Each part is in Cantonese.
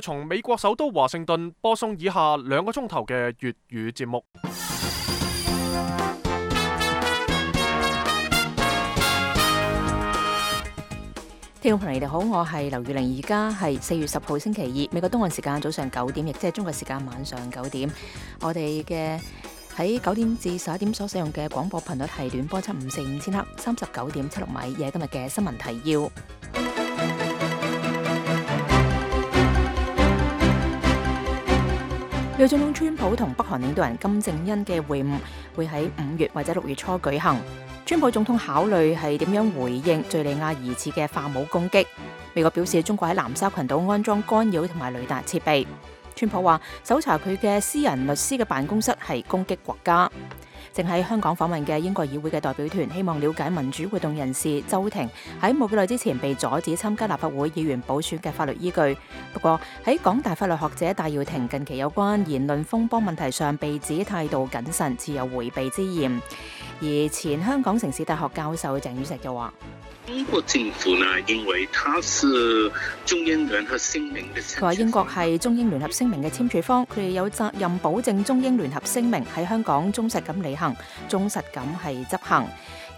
從美國首都華盛頓播送以下2個鐘頭嘅粵語節目。聽眾朋友，你哋好，我係劉玉玲，而家係4月10號星期2，美國東岸時間早上9點，亦即係中國時間晚上9點。我哋嘅喺9點至11點所使用嘅廣播頻率係短波7545000赫，39.76米。而係今日嘅新聞提要。美國總統川普同北韓領導人金正恩嘅會晤會喺5月或者6月初舉行。川普總統考慮係點樣回應敘利亞疑似嘅化武攻擊。美國表示中國喺南沙群島安裝干擾同埋雷達設備。川普話搜查佢嘅私人律師嘅辦公室係攻擊國家。正喺香港訪問嘅英國議會嘅代表團希望了解民主活動人士周庭喺冇幾耐之前被阻止參加立法會議員補選嘅法律依據。不過喺港大法律學者戴耀廷近期有關言論風波問題上被指態度謹慎，持有迴避之嫌。而前香港城市大學教授鄭宇碩就話：中國政府呢，因為它是中英聯合聲明嘅，佢話英國係中英聯合聲明嘅簽署方，佢哋有責任保證中英聯合聲明喺香港忠實咁履行，忠實咁係執行，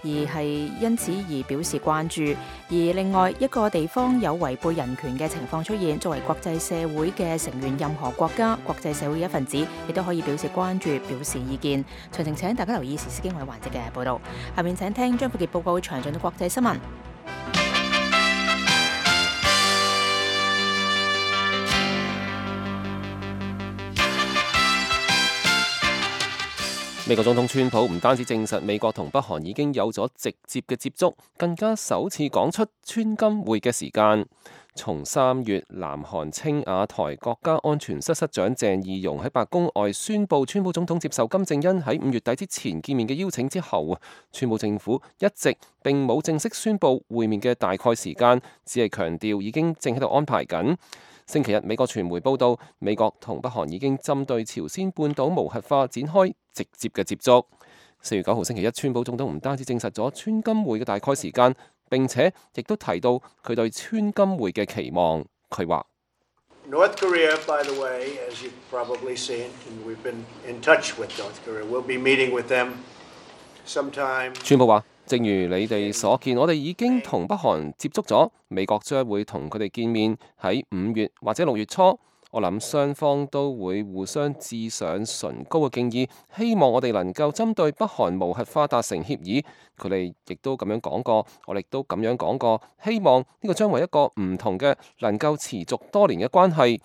而係因此而表示關注。而另外一個地方有違背人權嘅情況出現，作為國際社會嘅成員，任何國家、國際社會嘅一份子，亦都可以表示關注、表示意見。詳情請大家留意時事經緯環節嘅報導。下面請聽張富傑報告詳盡嘅國際新聞。美國總統川普唔單止證實美國同北韓已經有咗直接嘅接觸，更加首次講出川金會嘅時間。從3月南韓青瓦台國家安全室室長鄭義溶喺白宮外宣布川普總統接受金正恩喺5月底之前見面嘅邀請之後，川普政府一直並冇正式宣布會面嘅大概時間，只係強調已經正喺度安排緊。星期日，美國傳媒報道，美國同北韓已經針對朝鮮半島無核化展開直接嘅接觸。4月9號星期一，川普總統唔單止證實咗川金會嘅大概時間，並且亦都提到佢對川金會嘅期望。佢話：North Korea, by the way, as you've probably seen, and we've been in touch with North Korea. We'll be meeting with them sometime. 川普話：正如你哋所見，我哋已經同北韓接觸咗，美國將會同佢哋見面喺5月或者6月初。我諗雙方都會互相致上崇高嘅敬意，希望我哋能夠針對北韓無核化達成協議。佢哋亦都咁樣講過，我哋亦都咁樣講過，希望呢個將為一個唔同嘅能夠持續多年嘅關係。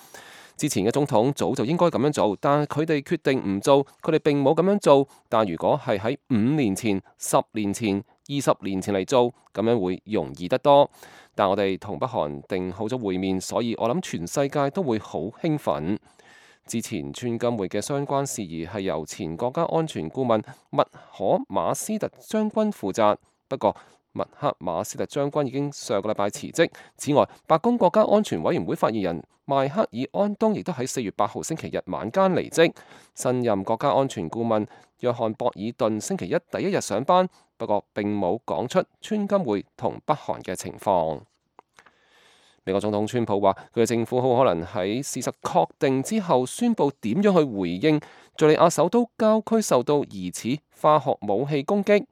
之前嘅總統早就應該咁樣做，但佢哋決定唔做，佢哋並冇咁樣做。但如果係喺5年前、10年前、20年前嚟做，咁樣會容易得多。但我哋同北韓定好咗會面，所以我諗全世界都會好興奮。之前川金會嘅相關事宜係由前國家安全顧問麥可馬斯特將軍負責，不過麥克馬斯特將軍已經上個禮拜辭職。此外，白宮國家安全委員會發言人邁克爾安東亦都喺4月8號星期日晚間離職。新任國家安全顧問約翰博爾頓星期一第一日上班，不過並冇講出川金會同北韓嘅情況。美國總統川普話：佢嘅政府好可能喺事實確定之後宣布點樣去回應敘利亞首都郊區受到疑似化學武器攻擊。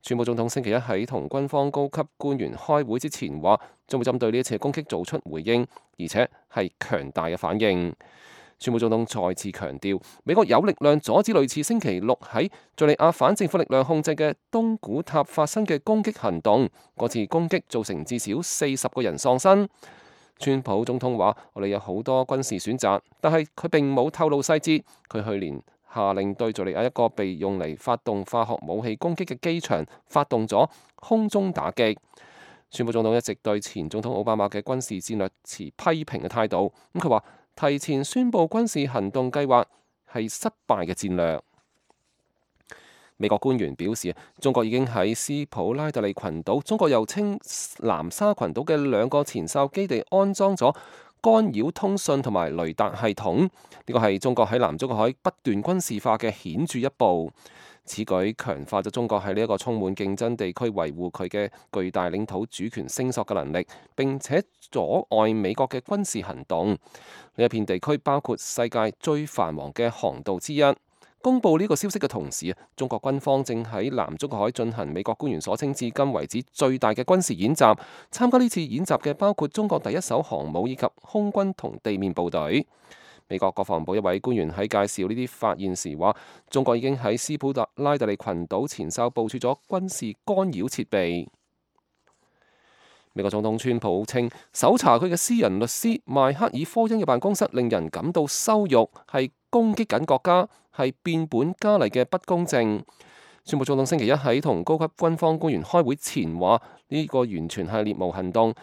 川普總統星期一喺同軍方高級官員開會之前話，將會針對呢一次攻擊做出回應，而且係強大嘅反應。川普總統再次強調，美國有力量阻止類似星期六喺敘利亞反政府力量控制嘅東古塔發生嘅攻擊行動。嗰次攻擊造成至少40個人喪生。川普總統話：我哋有好多軍事選擇，但係佢並冇透露細節。佢去年下令對敘利亞一個被用嚟發動化學武器攻擊嘅機場發動咗空中打擊。川普總統一直對前總統奧巴馬嘅軍事戰略持批評嘅態度。佢話提前宣布軍事行動計劃係失敗嘅戰略。美國官員表示，中國已經喺斯普拉特利群島，中國又稱南沙群島嘅2個前哨基地安裝咗干擾通訊同埋雷達系統。呢個係中國喺南中國海不斷軍事化嘅顯著一步。此舉強化咗中國喺呢一個充滿競爭地區維護佢嘅巨大領土主權聲索嘅能力，並且阻礙美國嘅軍事行動。呢一片地區包括世界最繁忙嘅航道之一。公佈呢個消息嘅同時，中國軍方正喺南中國海進行美國官員所稱至今為止最大嘅軍事演習。參加呢次演習嘅包括中國第一艘航母以及空軍同地面部隊。美國國防部一位官員喺介紹呢啲發現時話，中國已經喺斯普拉特利群島前哨部署咗軍事干擾設備。美國總統川普稱，搜查佢嘅私人律師邁克爾科恩嘅辦公室令人感到羞辱，係攻擊緊國家，係變本加厲嘅不公正。川普總統星期一喺同高級軍方官員開會前話，呢個完全係獵巫行動。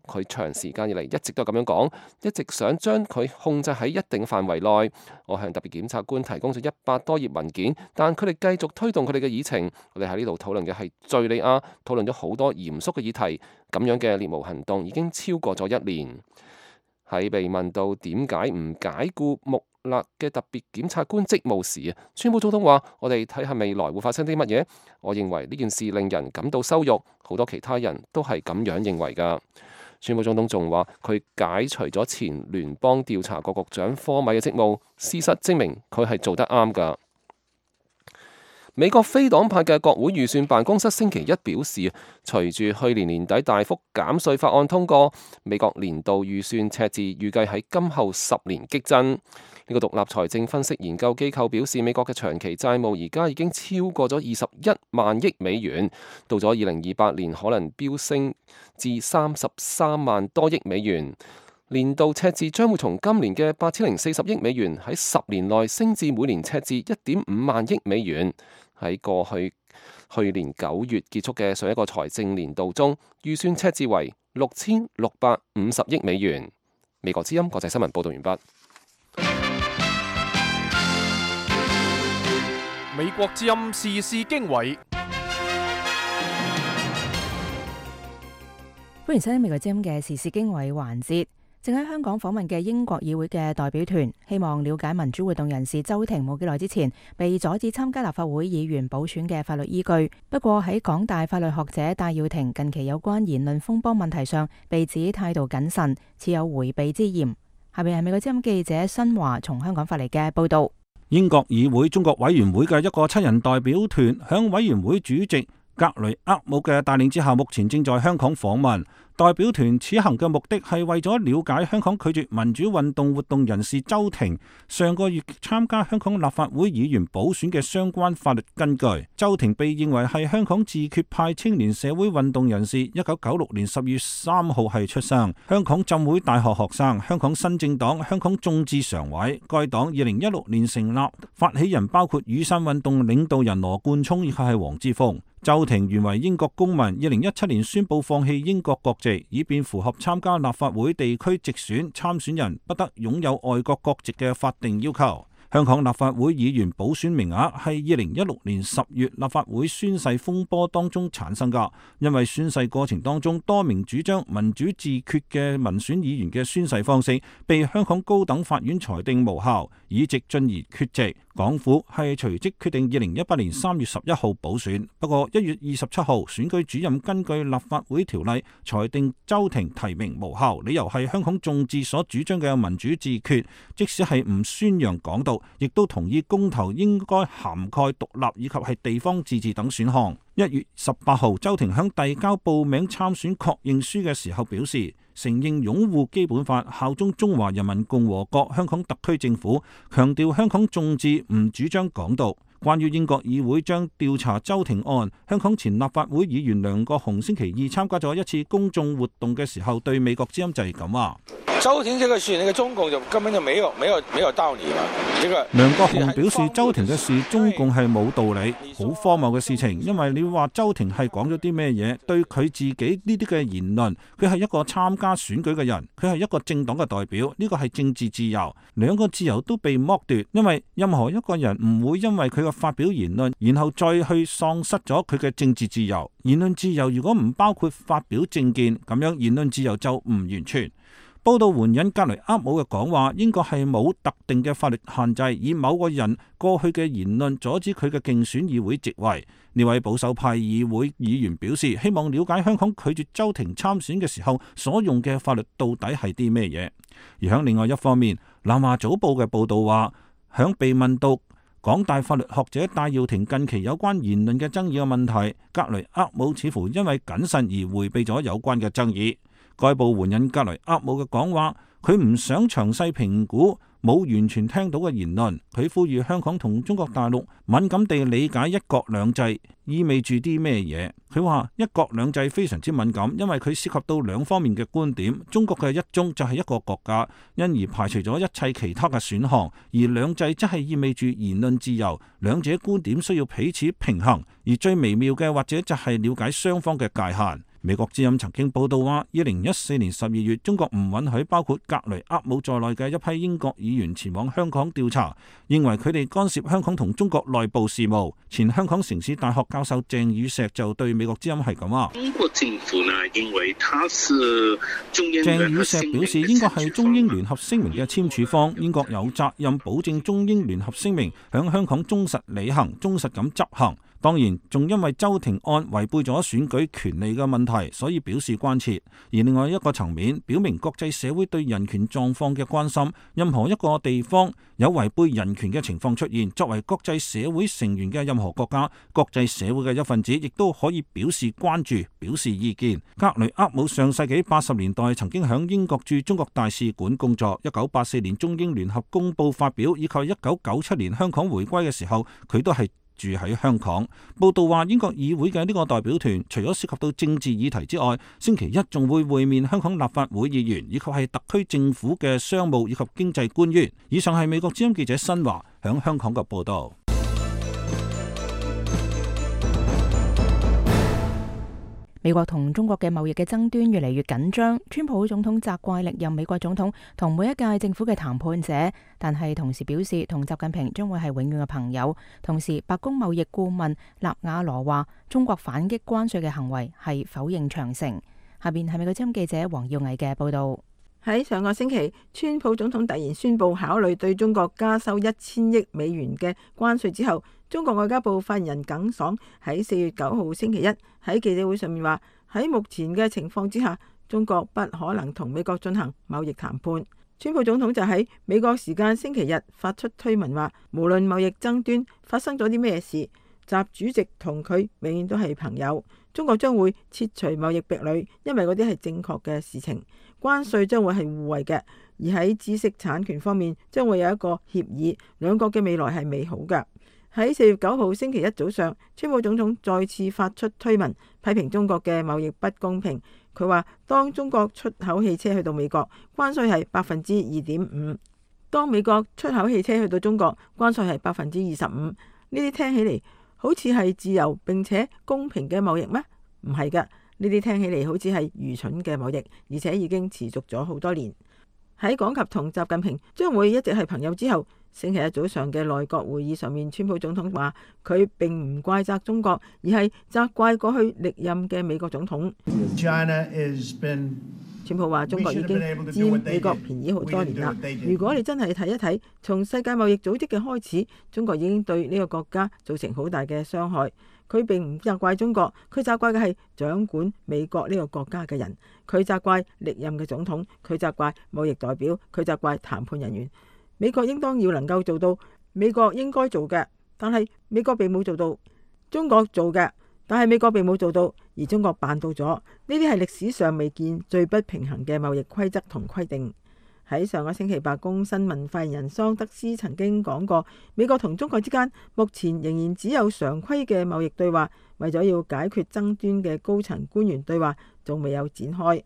佢長時間以嚟一直都係咁樣講，一直想將佢控制喺一定範圍內。我向特別檢察官提供咗100多頁文件，但佢哋繼續推動佢哋嘅議程。我哋喺呢度討論嘅係敘利亞，討論咗好多嚴肅嘅議題。咁樣嘅獵巫行動已經超過咗1年。喺被問到點解唔解雇穆勒嘅特別檢察官職務時，川普總統話：我哋睇下未來會發生啲乜嘢。我認為呢件事令人感到羞辱，好多其他人都係咁樣認為㗎。川普總統仲話佢解除咗前聯邦調查局局長科米嘅職務，事實證明佢係做得啱㗎。美國非黨派嘅國會預算辦公室星期一表示，隨住去年年底大幅減稅法案通過，美國年度預算赤字預計喺今後10年激增。呢個獨立財政分析研究機構表示，美國嘅長期債務而家已經超過咗21萬億美元，到咗2028年可能飆升至33萬多億美元。年度赤字將會從今年嘅8040億美元喺10年內升至每年赤字1.5萬億美元。喺過去年9月結束嘅上一個財政年度中，預算赤字為6650億美元。美國之音國際新聞報道完畢。美國之音時事經緯，歡迎收聽美國之音嘅時事經緯環節。正喺香港訪問嘅英國議會嘅代表團，希望了解民主活動人士周庭冇幾耐之前被阻止參加立法會議員補選嘅法律依據。不過喺港大法律學者戴耀廷近期有關言論風波問題上，被指態度謹慎，似有迴避之嫌。下面係美國之音記者新華從香港發嚟嘅報道。英國議會中國委員會嘅一個7人代表團，響委員會主席格雷厄姆嘅帶領之下，目前正在香港訪問。代表團此行嘅目的係為咗了解香港拒絕民主運動活動人士周庭上個月參加香港立法會議員補選嘅相關法律根據。周庭被認為係香港自決派青年社會運動人士，1996年10月3號係出生，香港浸會大學學生，香港新政黨香港眾志常委。該黨2016年成立，發起人包括雨傘運動領導人羅冠聰以及係黃之鋒。周庭原為英國公民，2017年宣布放棄英國國籍，以便符合參加立法會地區直選參選人不得擁有外國國籍嘅法定要求。香港立法會議員補選名額係2016年10月立法會宣誓風波當中產生㗎，因為宣誓過程當中多名主張民主自決嘅民選議員嘅宣誓方式被香港高等法院裁定無效，議席進而缺席。港府係隨即決定2018年3月11號補選，不過1月27號選舉主任根據立法會條例裁定周庭提名無效，理由係香港眾志所主張嘅民主自決，即使係唔宣揚港獨，亦都同意公投應該涵蓋獨立以及係地方自治等選項。1月18號，周庭響遞交報名參選確認書嘅時候表示，承認擁護基本法，效忠中華人民共和國香港特區政府，強調香港眾志唔主張港獨。關於英國議會將調查周庭案，香港前立法會議員梁國雄星期二參加咗一次公眾活動嘅時候，對美國之音就係咁話。周庭這個事，那個中共就根本就沒有道理嘛。梁國雄表示，周庭嘅事中共係冇道理，好荒謬嘅事情。因為你話周庭係講咗啲咩嘢？對佢自己呢啲嘅言論，佢係一個參加選舉嘅人，佢係一個政黨嘅代表，呢個係政治自由，兩個自由都被剝奪。因為任何一個人唔會因為佢嘅發表言論，然後再去喪失咗佢嘅政治自由。言論自由如果唔包括發表政見，咁樣言論自由就唔完全。報道援引格雷厄姆嘅講話，英國係冇特定嘅法律限制，以某個人過去嘅言論阻止佢嘅競選議會席位。呢位保守派議會議員表示，希望了解香港拒絕周庭參選嘅時候所用嘅法律到底係啲咩嘢。而喺另外一方面，南華早報嘅報導話，響被問到港大法律學者戴耀廷近期有關言論嘅爭議嘅問題，格雷厄姆似乎因為謹慎而迴避咗有關嘅爭議。該報援引格雷厄姆嘅講話，佢唔想詳細評估冇完全聽到嘅言論。佢呼籲香港同中國大陸敏感地理解一國兩制意味住啲咩嘢。佢話一國兩制非常之敏感，因為佢涉及到兩方面嘅觀點。中國嘅一中就係一個國家，因而排除咗一切其他嘅選項，而兩制則係意味住言論自由。兩者觀點需要彼此平衡，而最微妙嘅或者就係了解雙方嘅界限。美國之音曾經報道話，2014年12月，中國唔允許包括格雷厄姆在內嘅一批英國議員前往香港調查，認為佢哋干涉香港同中國內部事務。前香港城市大學教授鄭宇碩就對美國之音係咁話：中國政府呢，因為他是中英鄭宇碩表示，英國係中英聯合聲明嘅簽署方，英國有責任保證中英聯合聲明響香港忠實履行、忠實咁執行。當然，仲因為周庭案違背咗選舉權利嘅問題，所以表示關切。而另外一個層面，表明國際社會對人權狀況嘅關心。任何一個地方有違背人權嘅情況出現，作為國際社會成員嘅任何國家、國際社會嘅一份子，亦都可以表示關注、表示意見。格雷厄姆上世紀80年代曾經喺英國駐中國大使館工作。1984年中英聯合公報發表，以及1997年香港回歸嘅時候，佢都係住喺香港。報道話，英國議會嘅呢個代表團除咗涉及到政治議題之外，星期一仲會會面香港立法會議員，以及係特區政府嘅商務以及經濟官員。以上係美國之音記者新華響香港嘅報道。美國同中國嘅貿易嘅爭端越嚟越緊張，川普總統責怪歷任美國總統同每一屆政府嘅談判者，但係同時表示同習近平將會係永遠嘅朋友。同時，白宮貿易顧問納瓦羅話，中國反擊關稅嘅行為係否認長城。下邊係美國之音記者黃耀毅嘅報道。喺上個星期，川普總統突然宣布考慮對中國加收1000億美元嘅關稅之後，中國外交部發言人耿爽喺4月9號星期一喺記者會上面話，喺目前嘅情況之下，中國不可能同美國進行貿易談判。川普總統就喺美國時間星期日發出推文話，無論貿易爭端發生咗啲咩事，習主席同佢永遠都係朋友。中國將會撤除貿易壁壘，因為嗰啲係正確嘅事情。關稅將會係互惠嘅，而喺知識產權方面將會有一個協議，兩國嘅未來係美好嘅。喺4月9號星期一早上，川普總統再次發出推文，批評中國嘅貿易不公平。佢話，當中國出口汽車去到美國，關稅係2.5%；當美國出口汽車去到中國，關稅係25%。呢啲聽起嚟好似係自由並且公平嘅貿易咩？唔係㗎，呢啲聽起嚟好似係愚蠢嘅貿易，而且已經持續咗好多年。喺講及同習近平將會一直係朋友之後，星期一早上嘅內閣會議上面，川普總統話佢並唔怪責中國，而係責怪過去歷任嘅美國總統。川普話中國已經佔美國便宜好多年啦。如果你真係睇一睇，從世界貿易組織嘅開始，中國已經對呢個國家造成好大嘅傷害。佢並唔責怪中國，佢責怪嘅係掌管美國呢個國家嘅人。佢責怪歷任嘅總統，佢責怪貿易代表，佢責怪談判人員。美國應當要能夠做到美國應該做嘅，但係美國並冇做到；中國做嘅，但係美國並冇做到，而中國辦到咗。呢啲係歷史上未見最不平衡嘅貿易規則同規定。喺上個星期，白宮新聞發言人桑德斯曾經講過，美國同中國之間目前仍然只有常規嘅貿易對話，為咗要解決爭端嘅高層官員對話仲未有展開。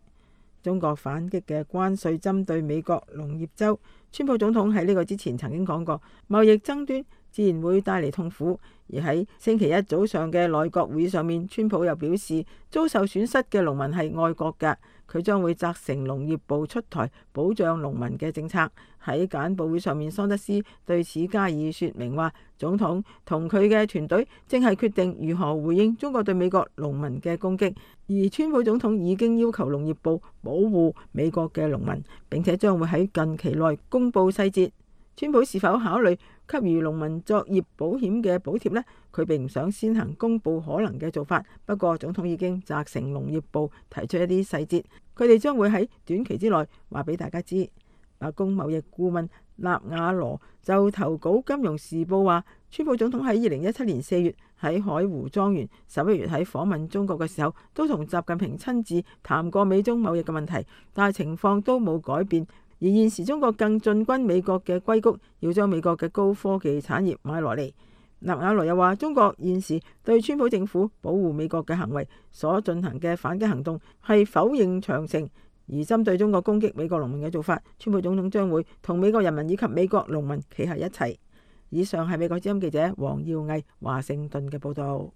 中國反擊嘅關稅針對美國農業州，川普總統喺呢個之前曾經講過，貿易爭端自然會帶嚟痛苦。而喺星期一早上嘅內閣會上面，川普又表示，遭受損失嘅農民係愛國嘅，佢將會責成農業部出台保障農民嘅政策。喺簡報會上面，桑德斯對此加以說明，話總統同佢嘅團隊正係決定如何回應中國對美國農民嘅攻擊，而川普總統已經要求農業部保護美國嘅農民，並且將會喺近期內公布細節。川普是否考慮給予農民作業保險嘅補貼呢？佢並唔想先行公布可能嘅做法。不過總統已經責成農業部提出一啲細節，佢哋將會喺短期之內話俾大家知。白宮貿易顧問納瓦羅就投稿《金融時報》話，川普總統喺2017年4月喺海湖莊園，11月喺訪問中國嘅時候，都同習近平親自談過美中貿易嘅問題，但係情況都冇改變。而現時中國更進軍美國嘅硅谷，要將美國嘅高科技產業買落嚟。納瓦羅又話，中國現時對川普政府保護美國嘅行為所進行嘅反擊行動係否認長城，而針對中國攻擊美國農民嘅做法，川普總統將會同美國人民以及美國農民企喺一齊。以上係美國之音記者黃耀毅華盛頓嘅報導。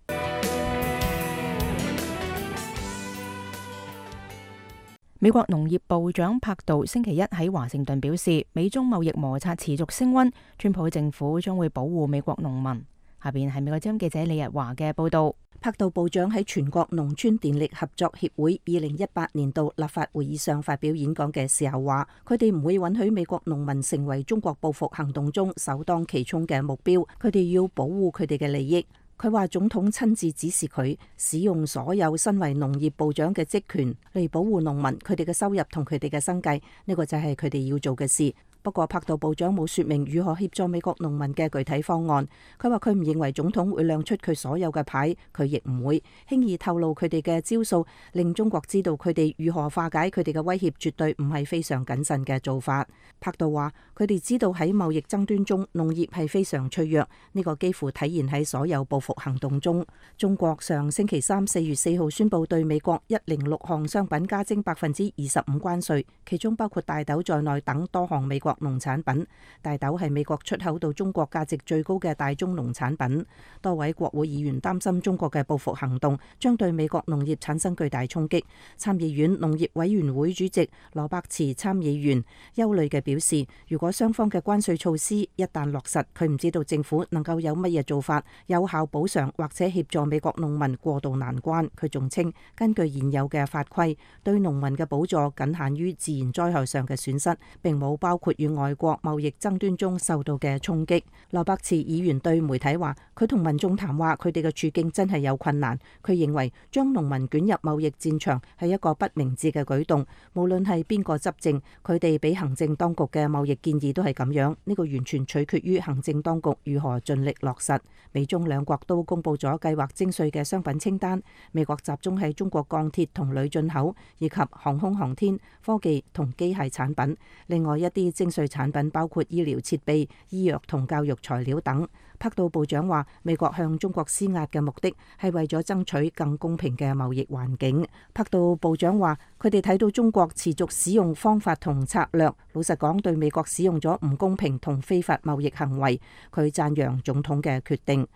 美國農業部長柏杜星期一喺華盛頓表示，美中貿易摩擦持續升溫，川普政府將會保護美國農民。下邊係美國之音記者李日華嘅報導。柏杜部長喺全國農村電力合作協會2018年度立法會議上發表演講嘅時候話，佢哋唔會允許美國農民成為中國報復行動中首當其衝嘅目標，佢哋要保護佢哋嘅利益。佢話總統親自指示佢使用所有身為農業部長嘅職權嚟保護農民，佢哋嘅收入同佢哋嘅生計，呢個就係佢哋要做嘅事。不過柏杜部長冇說明如何協助美國農民嘅具體方案。佢話佢唔認為總統會亮出佢所有嘅牌，佢亦唔會輕易透露佢哋嘅招數，令中國知道佢哋如何化解佢哋嘅威脅，絕對唔係非常謹慎嘅做法。柏杜話佢哋知道喺貿易爭端中，農業係非常脆弱，呢個幾乎體現喺所有報復行動中。中國上星期三4月4號宣布對美國106項商品加徵25%關稅，其中包括大豆在內等多項美國農產品。大豆係美國出口到中國價值最高嘅大宗農產品。多位國會議員擔心中國嘅報復行動將對美國農業產生巨大衝擊。參議院農業委員會主席羅伯茨參議員憂慮嘅表示，如果雙方嘅關稅措施一旦落實，佢唔知道政府能夠有乜嘢做法有效補償或者協助美國農民過渡難關。佢仲稱，根據現有嘅法規，對農民嘅補助僅限於自然災害上嘅損失，並冇包括與外國貿易爭端中受到嘅衝擊。羅伯茨議員對媒體話，佢同民眾談話，佢哋嘅處境真係有困難。佢認為將農民捲入貿易戰場係一個不明智嘅舉動，無論係邊個執政，佢哋俾行政當局嘅貿易建議都係咁樣。呢個完全取決於行政當局如何盡力落實。美中兩國都公布咗計劃徵稅嘅商品清單，美國集中喺中國鋼鐵同鋁進口，以及航空航天、科技同機械產品。另外一啲徵稅產品包括醫療設備、醫藥同教育材料等。柏杜部長話，美國向中國施壓嘅目的係為咗爭取更公平嘅貿易環境。柏杜部長話，佢哋睇到中國持續使用方法同策略，老實講對美國使用咗唔公平同非法貿易行為。佢讚揚總統嘅決定。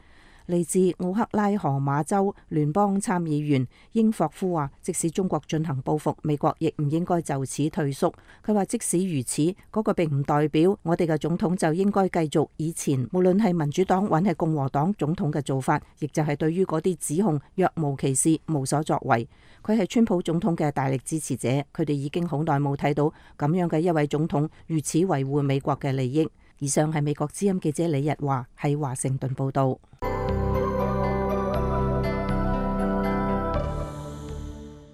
嚟自奧克拉荷馬州聯邦參議員英霍夫話，即使中國進行報復，美國亦唔應該就此退縮。佢話即使如此，嗰個並唔代表我哋嘅總統就應該繼續以前無論係民主黨還係共和黨總統嘅做法，亦就係對於嗰啲指控若無其事、無所作為。佢係川普總統嘅大力支持者，佢哋已經好耐冇睇到咁樣嘅一位總統如此維護美國嘅利益。以上係美國之音記者李日華喺華盛頓報道。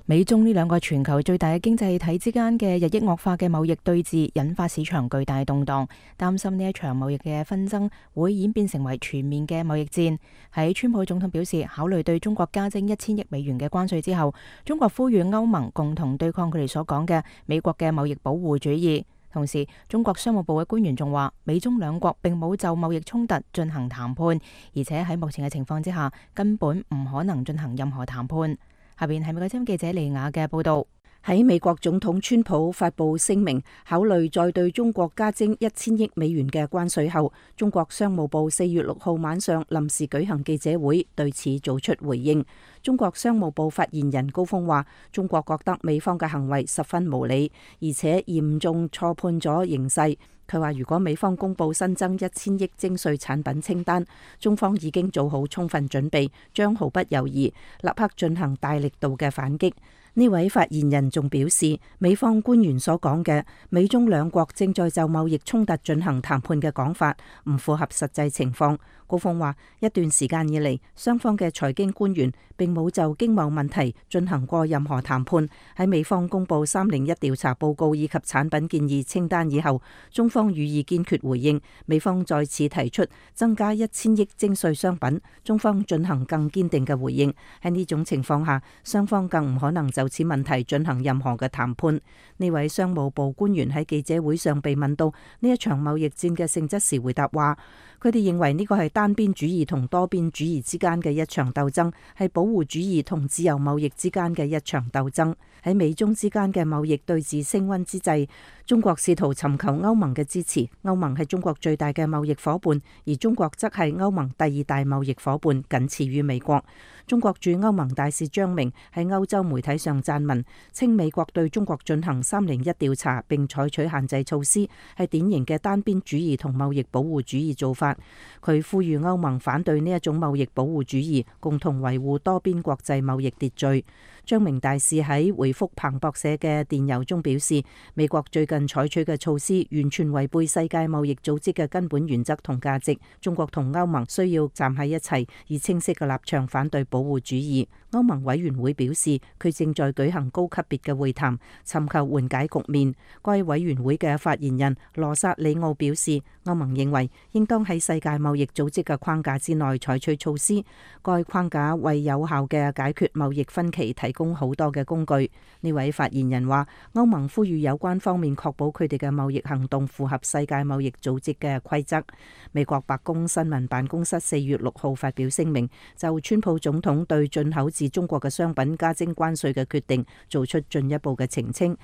美中呢兩個全球最大嘅經濟體之間嘅日益惡化嘅貿易對峙，引發市場巨大動盪，擔心呢一場貿易嘅紛爭會演變成為全面嘅貿易戰。喺川普總統表示考慮對中國加徵1000億美元嘅關稅之後，中國呼籲歐盟共同對抗佢哋所講嘅美國嘅貿易保護主義。同時，中國商務部嘅官員仲話，美中兩國並冇就貿易衝突進行談判，而且喺目前嘅情況之下，根本唔可能進行任何談判。下邊係美國之音記者利亞嘅報道。喺美國總統川普發布聲明，考慮再對中國加徵1000億美元嘅關稅後，中國商務部4月6號晚上臨時舉行記者會，對此做出回應。中國商務部發言人高峰話，中國覺得美方嘅行為十分無理，而且嚴重錯判咗形勢。佢話如果美方公布新增1000億徵稅產品清單，中方已經做好充分準備，將毫不猶豫，立刻進行大力度嘅反擊。呢位發言人仲表示，美方官員所講嘅美中兩國正在就貿易衝突進行談判嘅講法唔符合實際情況。高峰話，一段時間以嚟，雙方嘅財經官員並冇就經貿問題進行過任何談判。喺美方公布301調查報告以及產品建議清單以後，中方予以堅決回應。美方再次提出增加1000億徵稅商品，中方進行更堅定嘅回應。喺呢種情況下，雙方更唔可能就此問題進行任何嘅談判。呢位商務部官員喺記者會上被問到呢一場貿易戰嘅性質時，回答話，佢哋認為呢個係單邊主義同多邊主義之間嘅一場鬥爭，係保護主義同自由貿易之間嘅一場鬥爭。喺美中之間嘅貿易對峙升溫之際，中國試圖尋求歐盟嘅支持。歐盟係中國最大嘅貿易夥伴，而中國則係歐盟第2大貿易夥伴，僅次於美國。中國駐歐盟大使張明喺歐洲媒體上撰文，稱美國對中國進行301調查並採取限制措施，係典型嘅單邊主義同貿易保護主義做法。佢呼籲歐盟反對呢一種貿易保護主義，共同維護多邊國際貿易秩序。張明大使喺回覆彭博社嘅電郵中表示，美國最近採取嘅措施完全違背世界貿易組織嘅根本原則同價值。中國同歐盟需要站喺一齊，以清晰嘅立場反對保護主義。歐盟委員會表示，佢正在舉行高級別嘅會談，尋求緩解局面。該委員會嘅發言人羅薩里奧表示，歐盟認為應當喺世界貿易組織嘅框架之內採取措施，該框架為有效嘅解決貿易分歧提供好多嘅工具。呢位發言人話，歐盟呼籲有關方面確保佢哋嘅貿易行動符合世界貿易組織嘅規則。美國白宮新聞辦公室4月6號發表聲明，就川普總統對進口自中國嘅商品加徵關稅嘅決定做出進一步嘅澄清。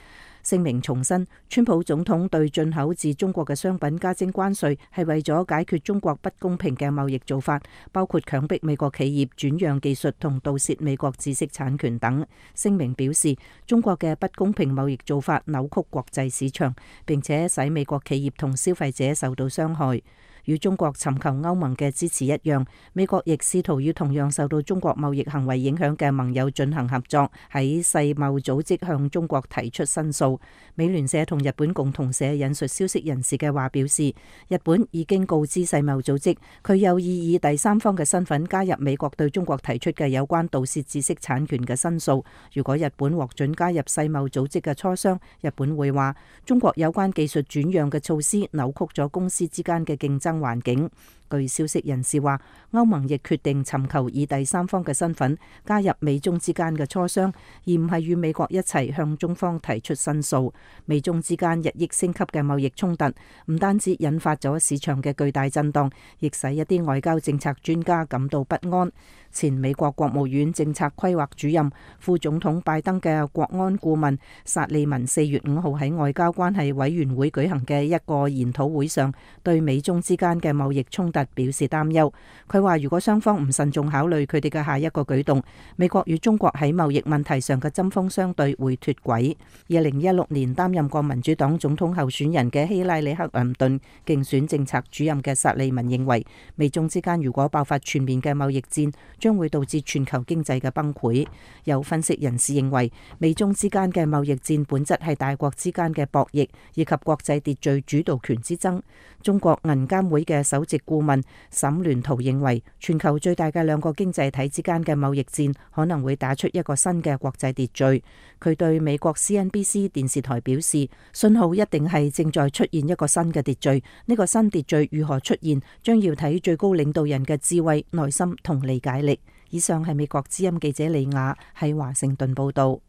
聲明重申，川普總統對進口自中國嘅商品加徵關稅係為咗解決中國不公平嘅貿易做法，包括強迫美國企業轉讓技術同盜竊美國知識產權等。聲明表示，中國嘅不公平貿易做法扭曲國際市場，並且使美國企業同消費者受到傷害。與中國尋求歐盟嘅支持一樣，美國亦試圖與同樣受到中國貿易行為影響嘅盟友進行合作，喺世貿組織向中國提出申訴。美聯社同日本共同社引述消息人士嘅話表示，日本已經告知世貿組織，佢有意以第三方嘅身份加入美國對中國提出嘅有關盜竊知識產權嘅申訴。如果日本獲准加入世貿組織嘅磋商，日本會話中國有關技術轉讓嘅措施扭曲咗公司之間嘅競爭環境。據消息人士話，歐盟亦決定尋求以第三方嘅身份加入美中之間嘅磋商，而唔係與美國一齊向中方提出申訴。美中之間日益升級嘅貿易衝突，唔單止引發咗市場嘅巨大震盪，亦使一啲外交政策專家感到不安。前美國國務院政策規劃主任、副總統拜登嘅國安顧問薩利文4月5號喺外交關係委員會舉行嘅一個研討會上，對美中之間嘅貿易衝突表示擔憂。佢話，如果雙方唔慎重考慮佢哋嘅下一個舉動，美國與中國喺貿易問題上嘅針鋒相對會脫軌。2016年擔任過民主黨總統候選人嘅希拉里克林頓競選政策主任嘅薩利文認為，美中之間如果爆發全面嘅貿易戰，將會導致全球經濟嘅崩潰。有分析人士認為，美中之間嘅貿易戰本質係大國之間嘅博弈，以及國際秩序主導權之爭。中國銀監會嘅首席顧問沈聯圖認為，全球最大嘅兩個經濟體之間嘅貿易戰可能會打出一個新嘅國際秩序。佢對美國 CNBC 電視台表示，信號一定係正在出現一個新嘅秩序。呢個新秩序如何出現，將要睇最高領導人嘅智慧、耐心同理解力。以上係美國之音記者李雅喺華盛頓報道。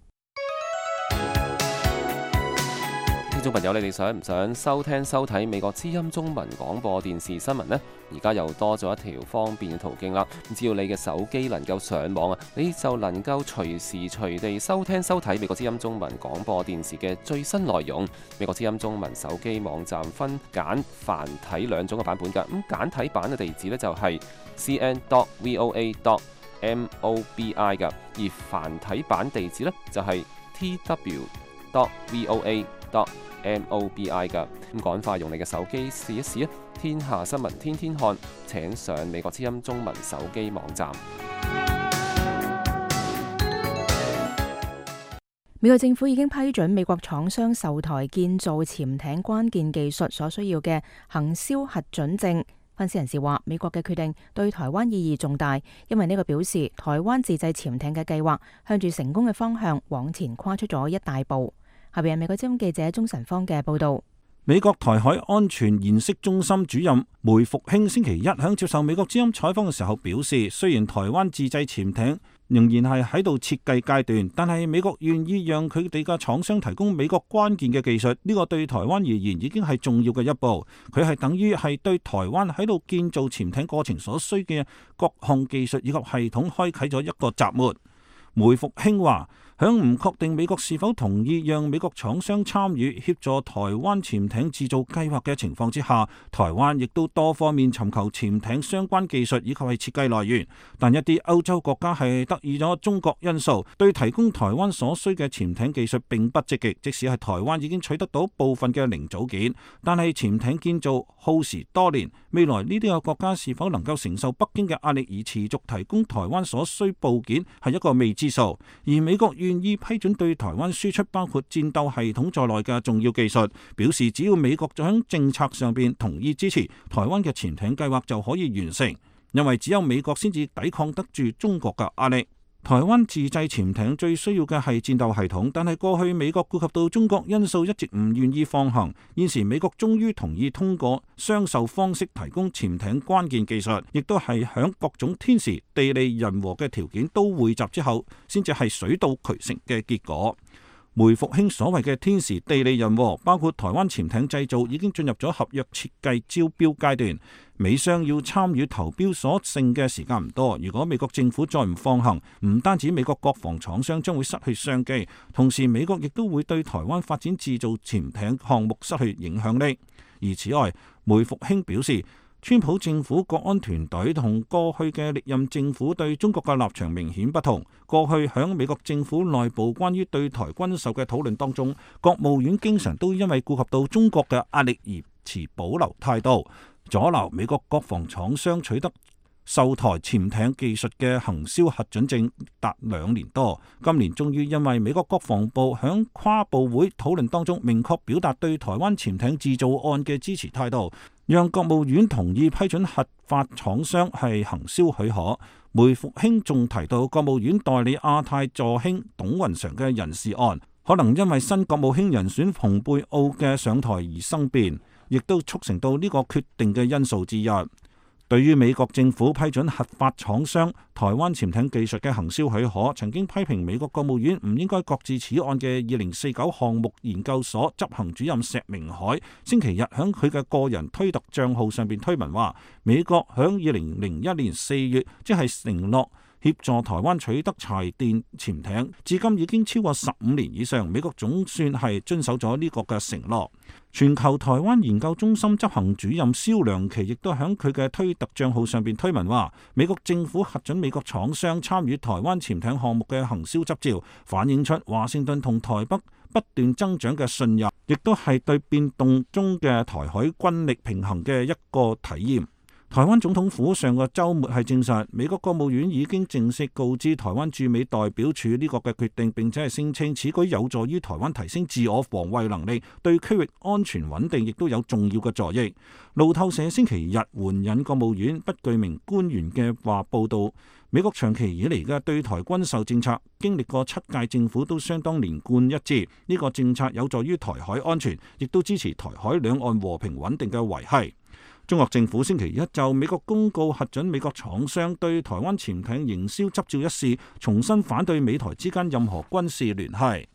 聽眾朋友，你哋想唔想收聽收睇美國之音中文廣播電視新聞呢？而家又多咗一條方便嘅途徑啦。只要你嘅手機能夠上網啊，你就能夠隨時隨地收聽收睇美國之音中文廣播電視嘅最新內容。美國之音中文手機網站分簡繁體兩種嘅版本㗎。咁簡體版嘅地址呢，就係 cn.voa.mobi 㗎，而繁體版地址呢，就係 tw.voa.mobi 㗎。咁趕快用你嘅手機試一試啊！天下新聞天天看，請上美國之音中文手機網站。美國政府已經批准美國廠商售台建造潛艇關鍵技術所需要嘅行銷核准證。分析人士話，美國嘅決定對台灣意義重大，因為呢個表示台灣自製潛艇嘅計劃向住成功嘅方向往前跨出咗一大步。下邊係美國之音記者鍾晨芳嘅報道。美國台海安全研析中心主任梅復興星期一響接受美國之音採訪嘅時候表示，雖然台灣自製潛艇仍然係喺度設計階段，但係美國願意讓佢哋嘅廠商提供美國關鍵嘅技術，呢個對台灣而言已經係重要嘅一步。佢係等於係對台灣喺度建造潛艇過程所需嘅各項技術以及系統開啟咗一個閘門。梅復興話，響唔確定美國是否同意讓美國廠商參與協助台灣潛艇製造計劃嘅情況之下，台灣亦都多方面尋求潛艇相關技術以及係設計來源。但一啲歐洲國家係得意咗中國因素，對提供台灣所需嘅潛艇技術並不積極。即使係台灣已經取得到部分嘅零組件，但係潛艇建造耗時多年，未來呢啲個國家是否能夠承受北京嘅壓力而持續提供台灣所需部件係一個未知數。而美國願意批准對台灣輸出包括戰鬥系統在內嘅重要技術，表示只要美國喺政策上邊同意支持台灣嘅潛艇計劃就可以完成，因為只有美國先至抵抗得住中國嘅壓力。台灣自製潛艇最需要嘅係戰鬥系統，但係過去美國顧及到中國因素一直唔願意放行。現時美國終於同意通過雙售方式提供潛艇關鍵技術，亦都係響各種天時地利人和嘅條件都匯集之後，先至係水到渠成嘅結果。梅復興所謂嘅天時地利人和，包括台灣潛艇製造已經進入咗合約設計招標階段，美商要參與投標所剩嘅時間唔多。如果美國政府再唔放行，唔單止美國國防廠商將會失去商機，同時美國亦都會對台灣發展製造潛艇項目失去影響力。而此外，梅復興表示，川普政府國安團隊同過去嘅歷任政府對中國嘅立場明顯不同。過去響美國政府內部關於對台軍售嘅討論當中，國務院經常都因為顧及到中國嘅壓力而持保留態度，阻撓美國國防廠商取得售台潛艇技術嘅行銷核准證達2年多。今年終於因為美國國防部響跨部會討論當中明確表達對台灣潛艇製造案嘅支持態度，讓國務院同意批准核發廠商係行銷許可。梅復興仲提到，國務院代理亞太助卿董雲常嘅人事案，可能因為新國務卿人選蓬佩奧嘅上台而生變，亦都促成到呢個決定嘅因素之一。對於美國政府批准核發廠商台灣潛艇技術嘅行銷許可，曾經批評美國國務院唔應該擱置此案嘅2049項目研究所執行主任石明海，星期日響佢嘅個人推特帳號上邊推文話，美國響2001年4月即係承諾協助台灣取得柴電潛艇，至今已經超過15年以上，美國總算係遵守咗呢個嘅承諾。全球台灣研究中心執行主任蕭良琪亦都喺佢嘅推特帳號上邊推文話，美國政府核准美國廠商參與台灣潛艇項目嘅行銷執照，反映出華盛頓同台北不斷增長嘅信任，亦都係對變動中嘅台海軍力平衡嘅一個體驗。台灣總統府上個週末係證實，美國國務院已經正式告知台灣駐美代表處呢個嘅決定，並且係聲稱此舉有助於台灣提升自我防衛能力，對區域安全穩定亦都有重要嘅助益。路透社星期日援引國務院不具名官員嘅話報道，美國長期以嚟嘅對台軍售政策，經歷過7屆政府都相當連貫一致。呢個政策有助於台海安全，亦都支持台海兩岸和平穩定嘅維繫。中國政府星期一就美國公告核准美國廠商對台灣潛艇營銷執照一事，重新反對美台之間任何軍事聯繫。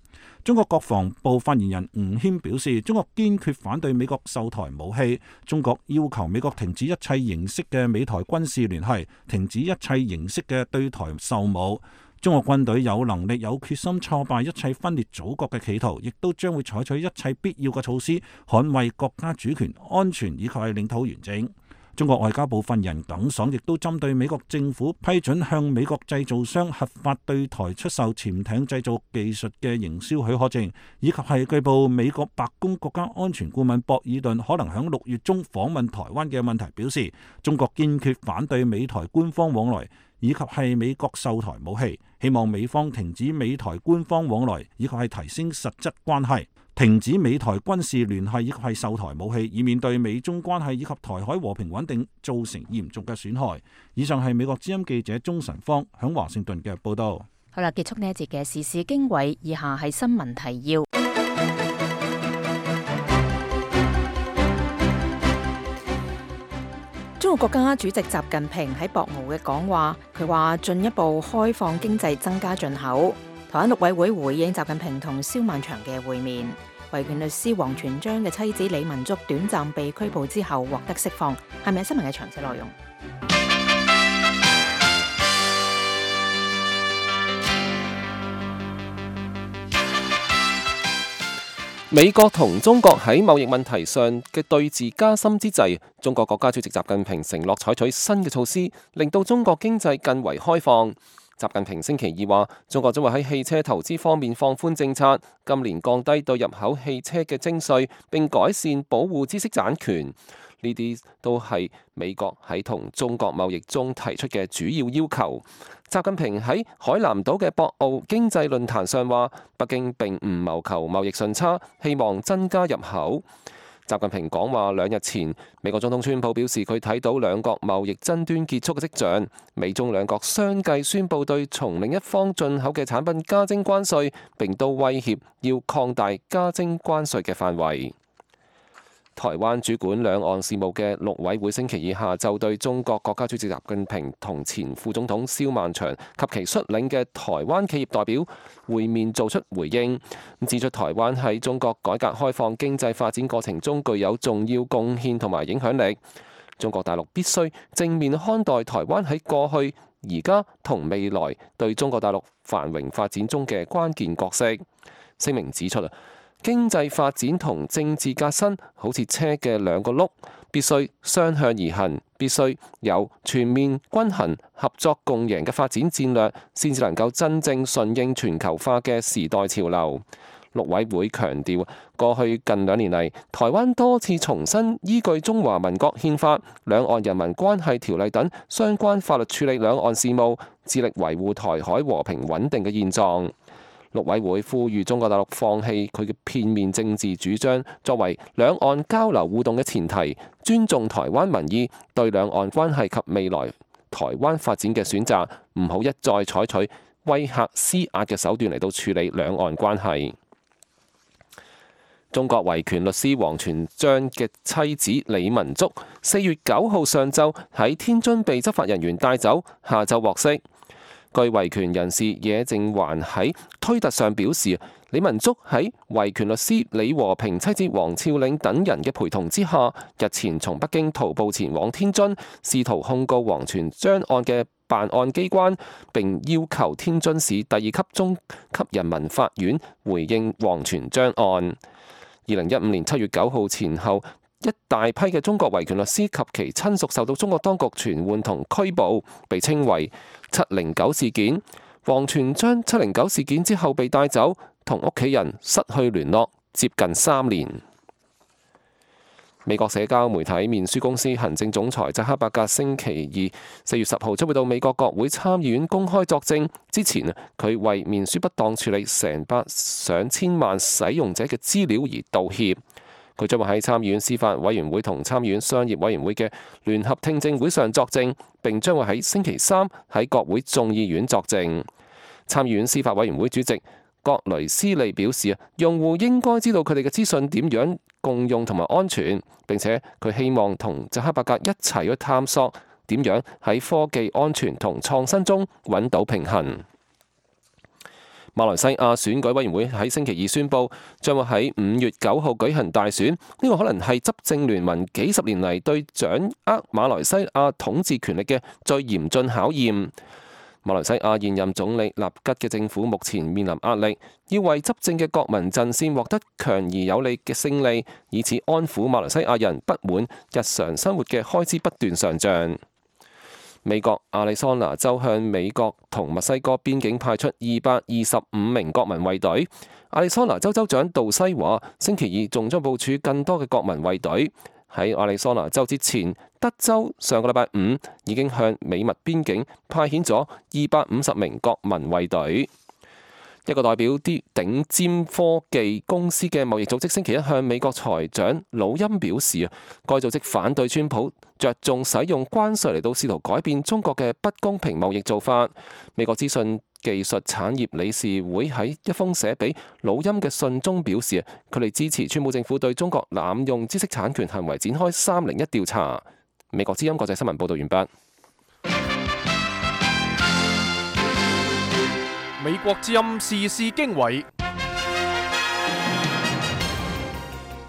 中國國防部發言人吳謙表示，中國堅決反對美國售台武器，中國要求美國停止一切形式嘅美台軍事聯繫，停止一切形式嘅對台售武。中國軍隊有能力、有決心挫敗一切分裂祖國嘅企圖，亦都將會採取一切必要嘅措施，捍衛國家主權、安全以及係領土完整。中國外交部發言人耿爽亦都針對美國政府批准向美國製造商合法對台出售潛艇製造技術嘅營銷許可證，以及係據報美國白宮國家安全顧問博爾頓可能喺6月中訪問台灣嘅問題表示，中國堅決反對美台官方往來，以及係美國售台武器，希望美方停止美台官方往來，以及係提升實質關係，停止美台軍事聯繫以及係售台武器，以免對美中關係以及台海和平穩定造成嚴重嘅損害。以上係美國之音記者鍾晨芳響華盛頓嘅報道。好啦，結束呢一節嘅時事經緯，以下係新聞提要。中國國家主席習近平喺博鰲嘅講話，佢話進一步開放經濟，增加進口。台灣陸委會回應習近平同蕭萬長嘅會面。維權律師王全璋嘅妻子李文竹短暫被拘捕之後獲得釋放，係咪新聞嘅詳細內容？美國同中國喺貿易問題上嘅對峙加深之際，中國國家主席習近平承諾採取新嘅措施，令到中國經濟更為開放。習近平星期二話，中國將會喺汽車投資方面放寬政策，今年降低對入口汽車嘅徵稅，並改善保護知識產權。呢啲都係美國喺同中國貿易中提出嘅主要要求。習近平喺海南島嘅博鰲經濟論壇上話，北京並唔謀求貿易順差，希望增加入口。習近平講話2日前，美國總統川普表示佢睇到兩國貿易爭端結束嘅跡象，美中兩國相繼宣布對從另一方進口嘅產品加徵關稅，並都威脅要擴大加徵關稅嘅範圍。台灣主管兩岸事務嘅陸委會星期二下晝對中國國家主席習近平同前副總統蕭萬長及其率領嘅台灣企業代表會面做出回應，指出台灣喺中國改革開放經濟發展過程中具有重要貢獻同埋影響力。中國大陸必須正面看待台灣喺過去、而家同未來對中國大陸繁榮發展中嘅關鍵角色。聲明指出經濟發展同政治革新好似車嘅兩個轆，必須雙向而行，必須有全面均衡、合作共贏嘅發展戰略，先至能夠真正順應全球化嘅時代潮流。陸委會強調，過去近2年嚟，台灣多次重新依據中華民國憲法、兩岸人民關係條例等相關法律處理兩岸事務，致力維護台海和平穩定嘅現狀。陸委會呼籲中國大陸放棄佢嘅片面政治主張，作為兩岸交流互動嘅前提，尊重台灣民意，對兩岸關係及未來台灣發展嘅選擇，唔好一再採取威嚇施壓嘅手段嚟到處理兩岸關係。中國維權律師王全璋嘅妻子李文竹4月9號上晝喺天津被執法人員帶走，下晝獲釋。據維權人士野正環喺推特上表示，李文竹喺維權律師李和平妻子王峭嶺等人嘅陪同之下，日前從北京徒步前往天津，試圖控告王全璋案嘅辦案機關，並要求天津市第2級中級人民法院回應王全璋案。2015年7月9號前後，一大批嘅中國維權律師及其親屬受到中國當局傳喚同拘捕，被稱為709事件。王全璋709事件之後被帶走，同屋企人失去聯絡，接近3年。美國社交媒體面書公司行政總裁扎克伯格星期二4月10號將會到美國國會參議院公開作證。之前佢為面書不當處理成百上千萬使用者嘅資料而道歉。佢將會喺參議院司法委員會同參議院商業委員會嘅聯合聽證會上作證，並將會喺星期3喺國會眾議院作證。參議院司法委員會主席葛雷斯利表示，用戶應該知道佢哋嘅資訊點樣共用同埋安全，並且佢希望同扎克伯格一齊去探索點樣喺科技安全同創新中揾到平衡。馬來西亞選舉委員會喺星期二宣布，將會喺5月9號舉行大選。呢個可能係執政聯盟幾十年嚟對掌握馬來西亞統治權力嘅最嚴峻考驗。馬來西亞現任總理納吉嘅政府目前面臨壓力，要為執政嘅國民陣線獲得強而有力嘅勝利，以此安撫馬來西亞人不滿日常生活嘅開支不斷上漲。美國亞利桑那州向美國同墨西哥邊境派出225名國民衛隊。亞利桑那州州長杜西話，星期二仲將部署更多嘅國民衛隊。喺亞利桑那州之前，德州上個禮拜5已經向美墨邊境派遣咗250名國民衛隊。一個代表啲頂尖科技公司嘅貿易組織星期一向美國財長魯欽表示，該組織反對川普着重使用關稅嚟到試圖改變中國嘅不公平貿易做法。美國資訊技術產業理事會喺一封寫俾魯欽嘅信中表示，佢哋支持川普政府對中國濫用知識產權行為展開301調查。美國之音國際新聞報道完畢。美國之音時事經緯，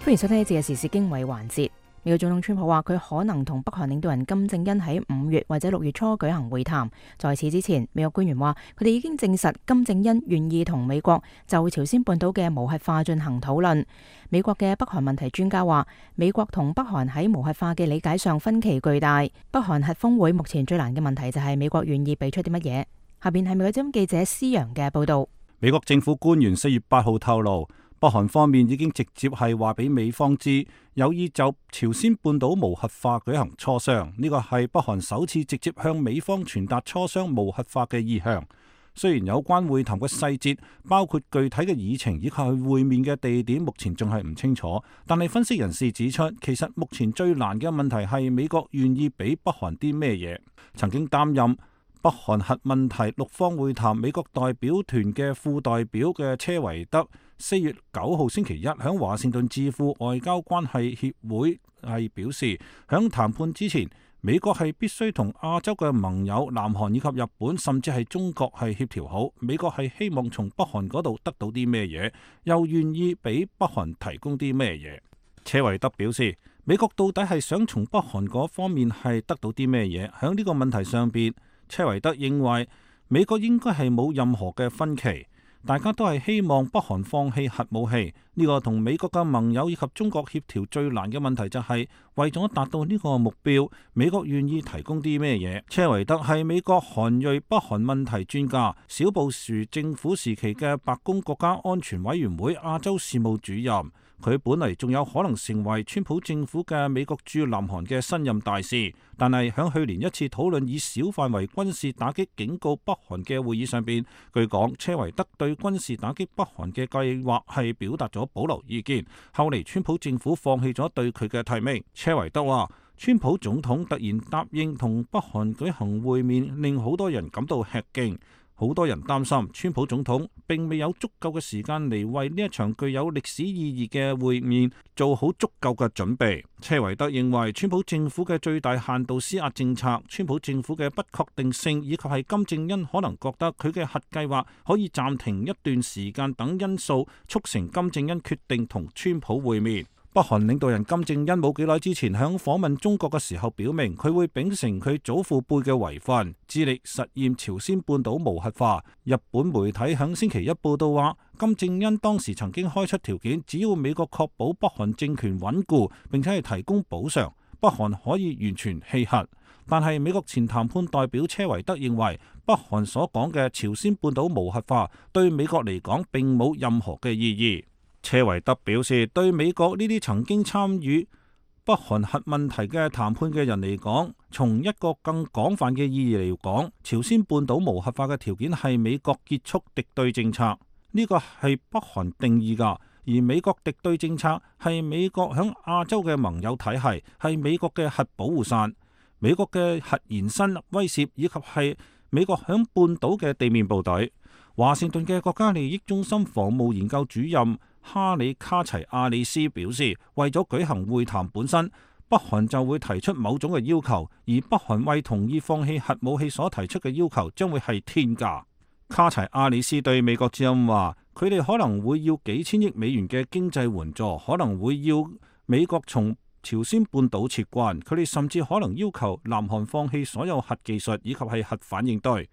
歡迎收聽呢節嘅時事經緯環節。美國總統川普話佢可能同北韓領導人金正恩喺5月或者6月初舉行會談。在此之前，美國官員話佢哋已經證實金正恩願意同美國就朝鮮半島嘅無核化進行討論。美國嘅北韓問題專家話，美國同北韓喺無核化嘅理解上分歧巨大。北韓核峰會目前最難嘅問題就係美國願意俾出啲乜嘢。下邊係美國之音記者施洋嘅報道。美國政府官員4月8號透露，北韓方面已經直接係話俾美方知，有意就朝鮮半島無核化舉行磋商。呢個係北韓首次直接向美方傳達磋商無核化嘅意向。雖然有關會談嘅細節，包括具體嘅議程以及會面嘅地點，目前仲係唔清楚。但係分析人士指出，其實目前最難嘅問題係美國願意俾北韓啲咩嘢。曾經擔任北韓核問題6方會談美國代表團嘅副代表嘅車維德4月9號星期一響華盛頓智庫外交關係協會係表示，響談判之前，美國係必須同亞洲嘅盟友南韓以及日本甚至係中國係協調好。美國係希望從北韓嗰度得到啲咩嘢，又願意俾北韓提供啲咩嘢。車維德表示，美國到底係想從北韓嗰方面係得到啲咩嘢？響呢個問題上邊，車維德認為美國應該係冇任何嘅分歧，大家都係希望北韓放棄核武器。呢個同美國嘅盟友以及中國協調最難嘅問題就係為咗達到呢個目標，美國願意提供啲咩嘢？車維德係美國韓裔北韓問題專家，小布殊政府時期嘅白宮國家安全委員會亞洲事務主任。佢本嚟仲有可能成為川普政府嘅美國駐南韓嘅新任大使，但係響去年一次討論以小範圍軍事打擊警告北韓嘅會議上邊，據講車維德對軍事打擊北韓嘅計劃係表達咗保留意見。後嚟川普政府放棄咗對佢嘅提名。車維德話，川普總統突然答應同北韓舉行會面，令好多人感到吃驚。好多人擔心川普總統並未有足夠嘅時間嚟為呢一場具有歷史意義嘅會面做好足夠嘅準備。車維德認為川普政府嘅最大限度施壓政策、川普政府嘅不確定性，以及係金正恩可能覺得佢嘅核計劃可以暫停一段時間等因素，促成金正恩決定同川普會面。北韓領導人金正恩冇幾耐之前響訪問中國嘅時候表明，佢會秉承佢祖父輩嘅遺訓，致力實現朝鮮半島無核化。日本媒體響星期一報道話，金正恩當時曾經開出條件，只要美國確保北韓政權穩固，並且係提供補償，北韓可以完全棄核。但係美國前談判代表車維德認為，北韓所講嘅朝鮮半島無核化對美國嚟講並冇任何嘅意義。車維德表示，對美國呢啲曾經參與北韓核問題嘅談判嘅人嚟講，從一個更廣泛嘅意義嚟講，朝鮮半島無核化嘅條件係美國結束敵對政策，呢個係北韓定義㗎。而美國敵對政策係美國響亞洲嘅盟友體系，係美國嘅核保護傘，美國嘅核延伸威懾，以及係美國響半島嘅地面部隊。華盛頓嘅國家利益中心防務研究主任哈里卡齊亞里斯表示，為咗舉行會談本身，北韓就會提出某種嘅要求，而北韓為同意放棄核武器所提出嘅要求將會係天價。卡齊亞里斯對美國之音話，佢哋可能會要幾千億美元嘅經濟援助，可能會要美國從朝鮮半島撤軍，佢哋甚至可能要求南韓放棄所有核技術以及係核反應堆。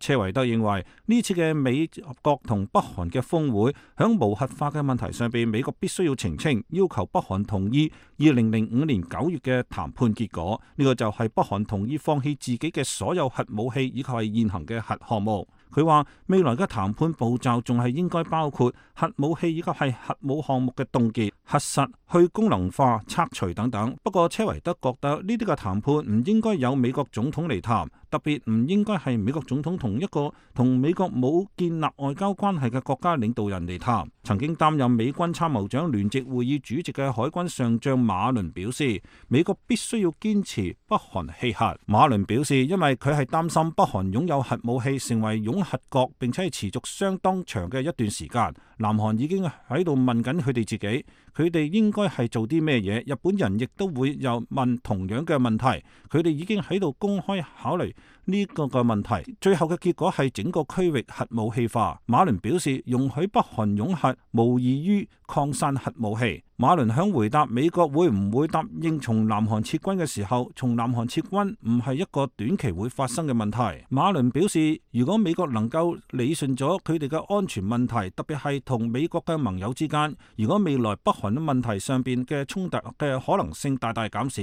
車維德認為呢次嘅美國同北韓嘅峰會響無核化嘅問題上邊，美國必須要澄清，要求北韓同意2005年9月嘅談判結果。呢個就係北韓同意放棄自己嘅所有核武器以及係現行嘅核項目。佢話未來嘅談判步驟仲係應該包括核武器以及係核武項目嘅凍結、核實、去功能化、拆除等等。不過車維德覺得呢啲嘅談判唔應該由美國總統嚟談，特別唔應該係美國總統同一個同美國冇建立外交關係嘅國家領導人嚟談。曾經擔任美軍參謀長聯席會議主席嘅海軍上將馬倫表示，美國必須要堅持北韓棄核。馬倫表示，因為佢係擔心北韓擁有核武器成為擁核國，並且係持續相當長嘅一段時間。南韓已經喺度問緊佢哋自己，佢哋應該係做啲咩嘢？日本人亦都會又問同樣嘅問題，佢哋已經喺度公開考慮呢個嘅問題。最後嘅結果係整個區域核武器化。馬倫表示，容許北韓擁核無異於擴散核武器。馬倫響回答美國會唔會答應從南韓撤軍嘅時候，從南韓撤軍唔係一個短期會發生嘅問題。馬倫表示，如果美國能夠理順咗佢哋嘅安全問題，特別係同美國嘅盟友之間，如果未來北韓嘅問題上邊嘅衝突嘅可能性大大減少，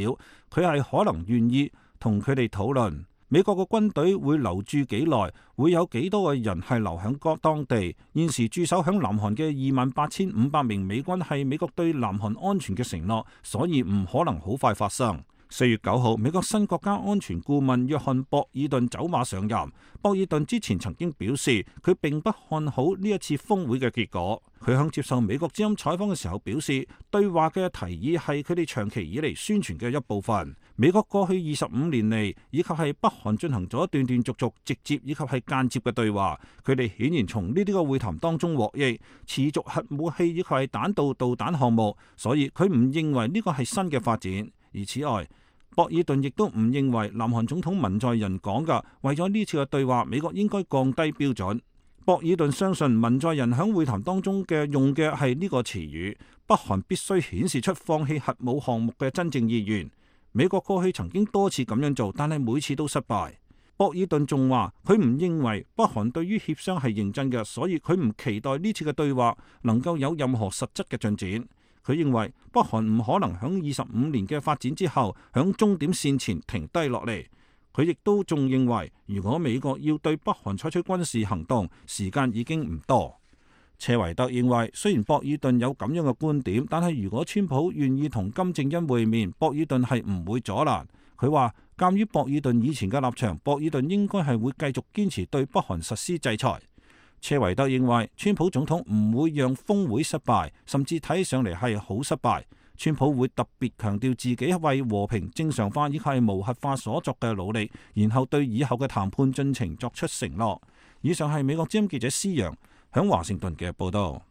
佢係可能願意同佢哋討論。美國嘅軍隊會留駐幾耐，會有幾多個人係留響當地。現時駐守響南韓嘅28,500名美軍係美國對南韓安全嘅承諾，所以唔可能好快發生。4月9號，美國新國家安全顧問約翰博爾頓走馬上任。博爾頓之前曾經表示，佢並不看好呢一次峰會嘅結果。佢向接受美國之音採訪嘅時候表示，對話嘅提議係佢哋長期以嚟宣傳嘅一部分。美國過去25年嚟，以及係北韓進行咗斷斷續續、直接以及係間接嘅對話。佢哋顯然從呢啲個會談當中獲益，持續核武器以及係彈道導彈項目，所以佢唔認為呢個係新嘅發展。而此外，博爾頓亦都唔認為南韓總統文在寅講嘅為咗呢次嘅對話，美國應該降低標準。博爾頓相信文在寅響會談當中嘅用嘅係呢個詞語，北韓必須顯示出放棄核武項目嘅真正意願。美國過去曾經多次咁樣做，但係每次都失敗。博爾頓仲話佢唔認為北韓對於協商係認真嘅，所以佢唔期待呢次嘅對話能夠有任何實質嘅進展。佢認為北韓唔可能響25年嘅發展之後響終點線前停低落嚟。佢亦都仲認為，如果美國要對北韓採取軍事行動，時間已經唔多。車維德認為，雖然博爾頓有咁樣嘅觀點，但係如果川普願意同金正恩會面，博爾頓係唔會阻攔。佢話，鑑於博爾頓以前嘅立場，博爾頓應該係會繼續堅持對北韓實施制裁。車維德認為，川普總統唔會讓峰會失敗，甚至睇上嚟係好失敗。川普會特別強調自己為和平正常化以及係無核化所作嘅努力，然後對以後嘅談判進程作出承諾。以上係美國之音記者施陽響華盛頓嘅報道。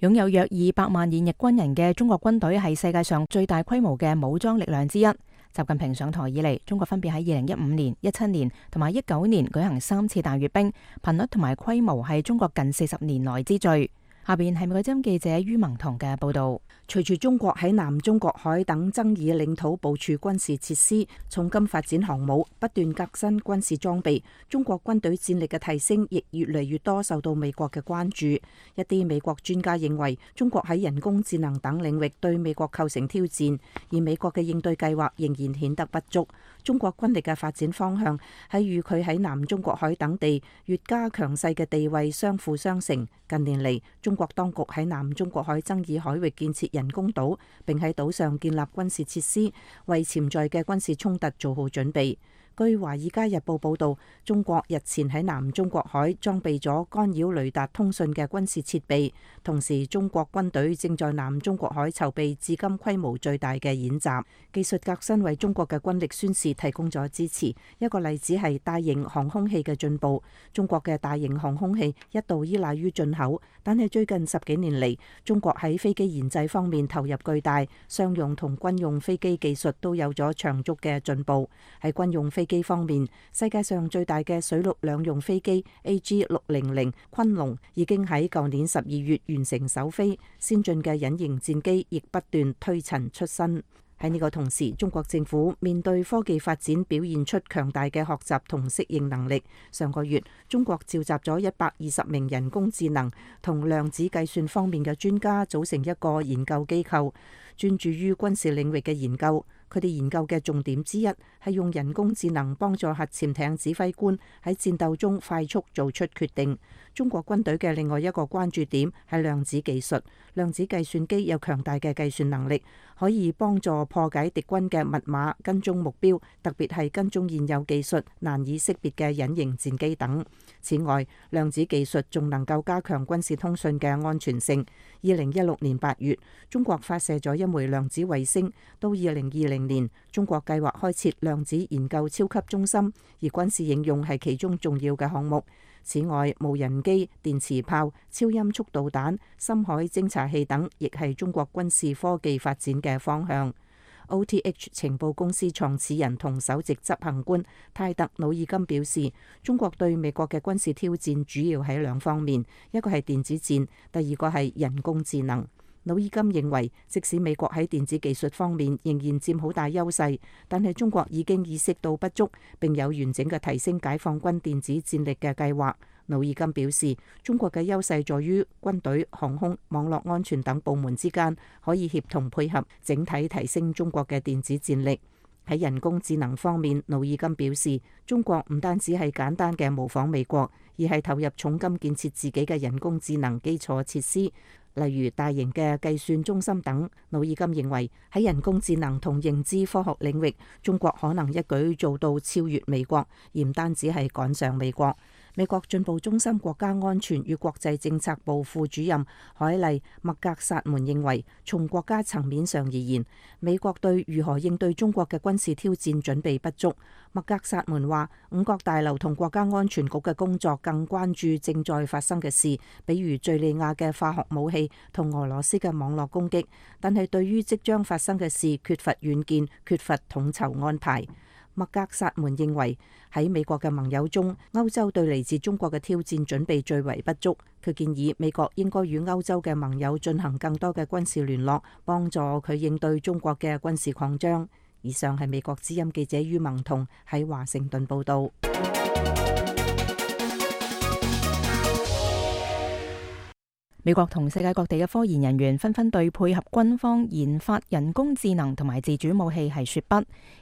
擁有約200萬現役軍人嘅中國軍隊係世界上最大規模嘅武裝力量之一。習近平上台以嚟，中國分別喺2015年、17年同埋19年舉行3次大閱兵，頻率同埋規模係中國近40年來之最。下邊係美國之音記者于萌彤嘅報道。隨住中國喺南中國海等爭議領土部署軍事設施，重金發展航母，不斷革新軍事裝備，中國軍隊戰力嘅提升亦越嚟越多受到美國嘅關注。一啲美國專家認為，中國喺人工智能等領域對美國構成挑戰，而美國嘅應對計劃仍然顯得不足。中國軍力嘅發展方向係與佢喺南中國海等地越加強勢嘅地位相輔相成。近年嚟，中國當局喺南中國海爭議海域建設人工島，並喺島上建立軍事設施，為潛在嘅軍事衝突做好準備。據《華爾街日報》報導，中國日前喺南中國海裝備咗干擾雷達通訊嘅軍事設備，同時中國軍隊正在南中國海籌備至今規模最大嘅演習。技術革新為中國嘅軍力宣示提供咗支持。一個例子係大型航空器嘅進步。中國嘅大型航空器一度依賴於進口，但係最近10幾年嚟，中國喺飛機研製方面投入巨大，商用同軍用飛機技術都有咗長足嘅進步。喺軍用飛飛機方面，世界上最大嘅水陸兩用飛機 AG600昆龍已經喺舊年12月完成首飛，先進嘅隱形戰機亦不斷推陳出新。喺呢個同時，中國政府面對科技發展表現出強大嘅學習同適應能力。上個月，中國召集咗120名人工智能同量子計算方面嘅專家，組成一個研究機構，專注於軍事領域嘅研究。佢哋研究嘅重點之一係用人工智能幫助核潛艇指揮官喺戰鬥中快速做出決定。中國軍隊嘅另外一個關注點係量子技術。量子計算機有強大嘅計算能力，可以幫助破解敵軍嘅密碼、跟蹤目標，特別係跟蹤現有技術難以識別嘅隱形戰機等。此外，量子技術仲能夠加強軍事通訊嘅安全性。2016年8月，中國發射咗一枚量子衛星。到2020年，中國計劃開設量子研究超級中心，而軍事應用係其中重要嘅項目。此外，無人機、電磁炮、超音速導彈、深海偵察器等，亦係中國軍事科技發展嘅方向。OTH 情報公司創始人同首席執行官泰特·努爾金表示，中國對美國嘅軍事挑戰主要喺兩方面，一個係電子戰，第二個係人工智能。努爾金認為，即使美國喺電子技術方面仍然佔好大優勢，但係中國已經意識到不足，並有完整嘅提升解放軍電子戰力嘅計劃。努爾金表示，中國嘅優勢在於軍隊、航空、網絡安全等部門之間可以協同配合，整體提升中國嘅電子戰力。喺人工智能方面，努爾金表示，中國唔單止係簡單嘅模仿美國，而係投入重金建設自己嘅人工智能基礎設施，例如大型嘅計算中心等。努爾金認為，喺人工智能同認知科學領域，中國可能一舉做到超越美國，而唔單止係趕上美國。美國進步中心國家安全與國際政策部副主任海莉·麥格薩門認為，從國家層面上而言，美國對如何應對中國嘅軍事挑戰準備不足。麥格薩門話，五角大樓同國家安全局嘅工作更關注正在發生嘅事，比如敘利亞嘅化學武器同俄羅斯嘅網絡攻擊，但係對於即將發生嘅事缺乏遠見，缺乏統籌安排。麥格薩門認為，喺美國嘅盟友中，歐洲對嚟自中國嘅挑戰準備最為不足。佢建議美國應該與歐洲嘅盟友進行更多嘅軍事聯絡，幫助佢應對中國嘅軍事擴張。以上係美國之音記者于萌彤喺華盛頓報道。美國同世界各地嘅科研人員紛紛對配合軍方研發人工智能同埋自主武器係說不。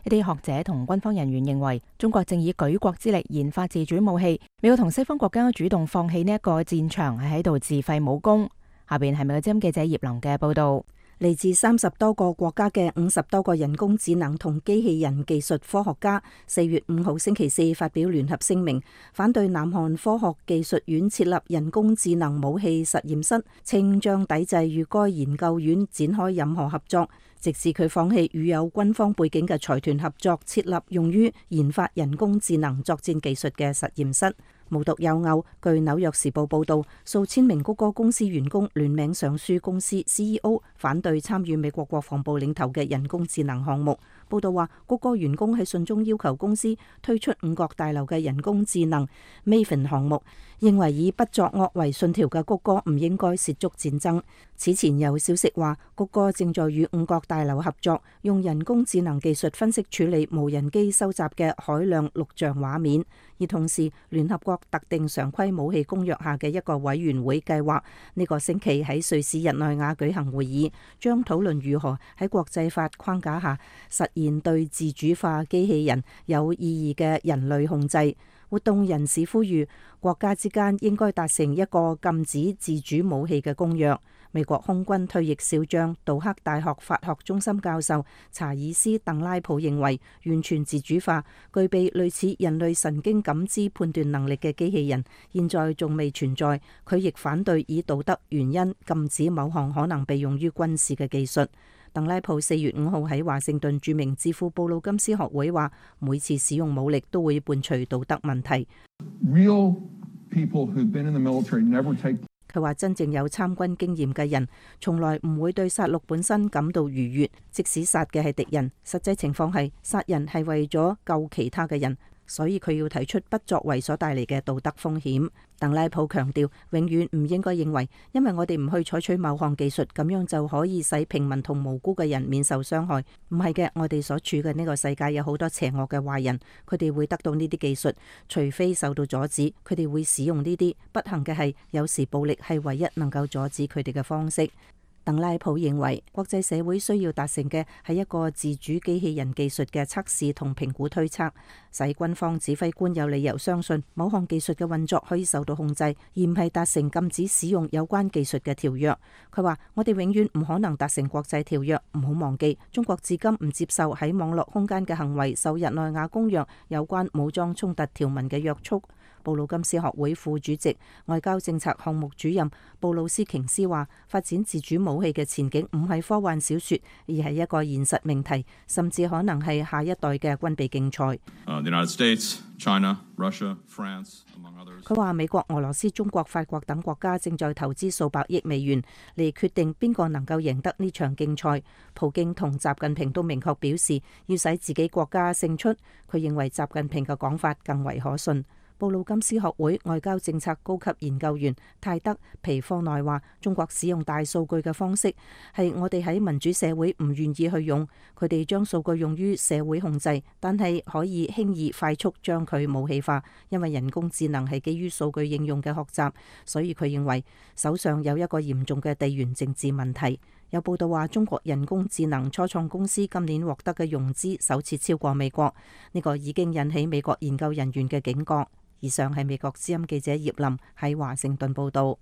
一啲學者同軍方人員認為，中國正以舉國之力研發自主武器，美國同西方國家主動放棄呢一個戰場，係喺度自廢武功。下邊係美國之音記者葉琳嘅報道。嚟自30多個國家嘅50多個人工智能同機器人技術科學家4月5號星期四發表聯合聲明，反對南韓科學技術院設立人工智能武器實驗室，稱將抵制與該研究院展開任何合作，直至佢放棄與有軍方背景嘅財團合作，設立用於研發人工智能作戰技術嘅實驗室。無獨有偶，據紐約時報報道，數千名谷歌公司員工聯名上書公司 CEO 反對參與美國國防部領頭嘅人工智能項目。報道話，谷歌員工喺信中要求公司推出五角大樓嘅人工智能 Maven 項目，認為以不作惡為信條嘅谷歌唔應該涉足戰爭。此前有消息話，谷歌正在與五角大樓合作，用人工智能技術分析處理無人機收集嘅海量錄像畫面。而同時，聯合國特定常規武器公約下嘅一個委員會計劃呢個星期喺瑞士日內瓦舉行會議，將討論如何喺國際法框架下實現對自主化機器人有意義嘅人類控制。活動人士呼籲國家之間應該達成一個禁止自主武器嘅公約。美國空軍退役少將、杜克大學法學中心教授查爾斯·鄧拉普認為，完全自主化、具備類似人類神經感知判斷能力嘅機器人，現在仲未存在。佢亦反對以道德原因禁止某項可能被用於軍事嘅技術。鄧拉普4月5號喺華盛頓著名智庫布魯金斯學會話，每次使用武力都會伴隨道德問題。佢話真正有參軍經驗嘅人，從來唔會對殺戮本身感到愉悅，即使殺嘅係敵人，實際情況係殺人係為咗救其他嘅人。所以佢要提出不作為所帶嚟嘅道德風險。鄧拉普強調，永遠唔應該認為，因為我哋唔去採取某項技術，咁樣就可以使平民同無辜嘅人免受傷害。唔係嘅，我哋所處嘅呢個世界有好多邪惡嘅壞人，佢哋會得到呢啲技術，除非受到阻止，佢哋會使用呢啲。不幸嘅係，有時暴力係唯一能夠阻止佢哋嘅方式。鄧拉普認為，國際社會需要達成嘅係一個自主機器人技術嘅測試同評估推測，使軍方指揮官有理由相信某項技術嘅運作可以受到控制，而唔係達成禁止使用有關技術嘅條約。佢話：我哋永遠唔可能達成國際條約，唔好忘記，中國至今唔接受喺網絡空間嘅行為受日內瓦公約有關武裝衝突條文嘅約束。布魯金斯學會副主席、外交政策項目主任布魯斯瓊斯話：發展自主武器嘅前景唔係科幻小說，而係一個現實命題，甚至可能係下一代嘅軍備競賽。佢話美國、俄羅斯、中國、法國等國家正在投資數百億美元嚟決定邊個能夠贏得呢場競賽。普京同習近平都明確表示要使自己國家勝出。佢認為習近平嘅講法更為可信。布魯金斯學會外交政策高級研究員泰德皮科內話：中國使用大數據嘅方式係我哋喺民主社會唔願意去用。佢哋將數據用於社會控制，但係可以輕易快速將佢武器化，因為人工智能係基於數據應用嘅學習。所以佢認為手上有一個嚴重嘅地緣政治問題。有報道話，中國人工智能初創公司今年獲得嘅融資首次超過美國，呢個已經引起美國研究人員嘅警覺。以上係美國之音記者葉林喺華盛頓報道。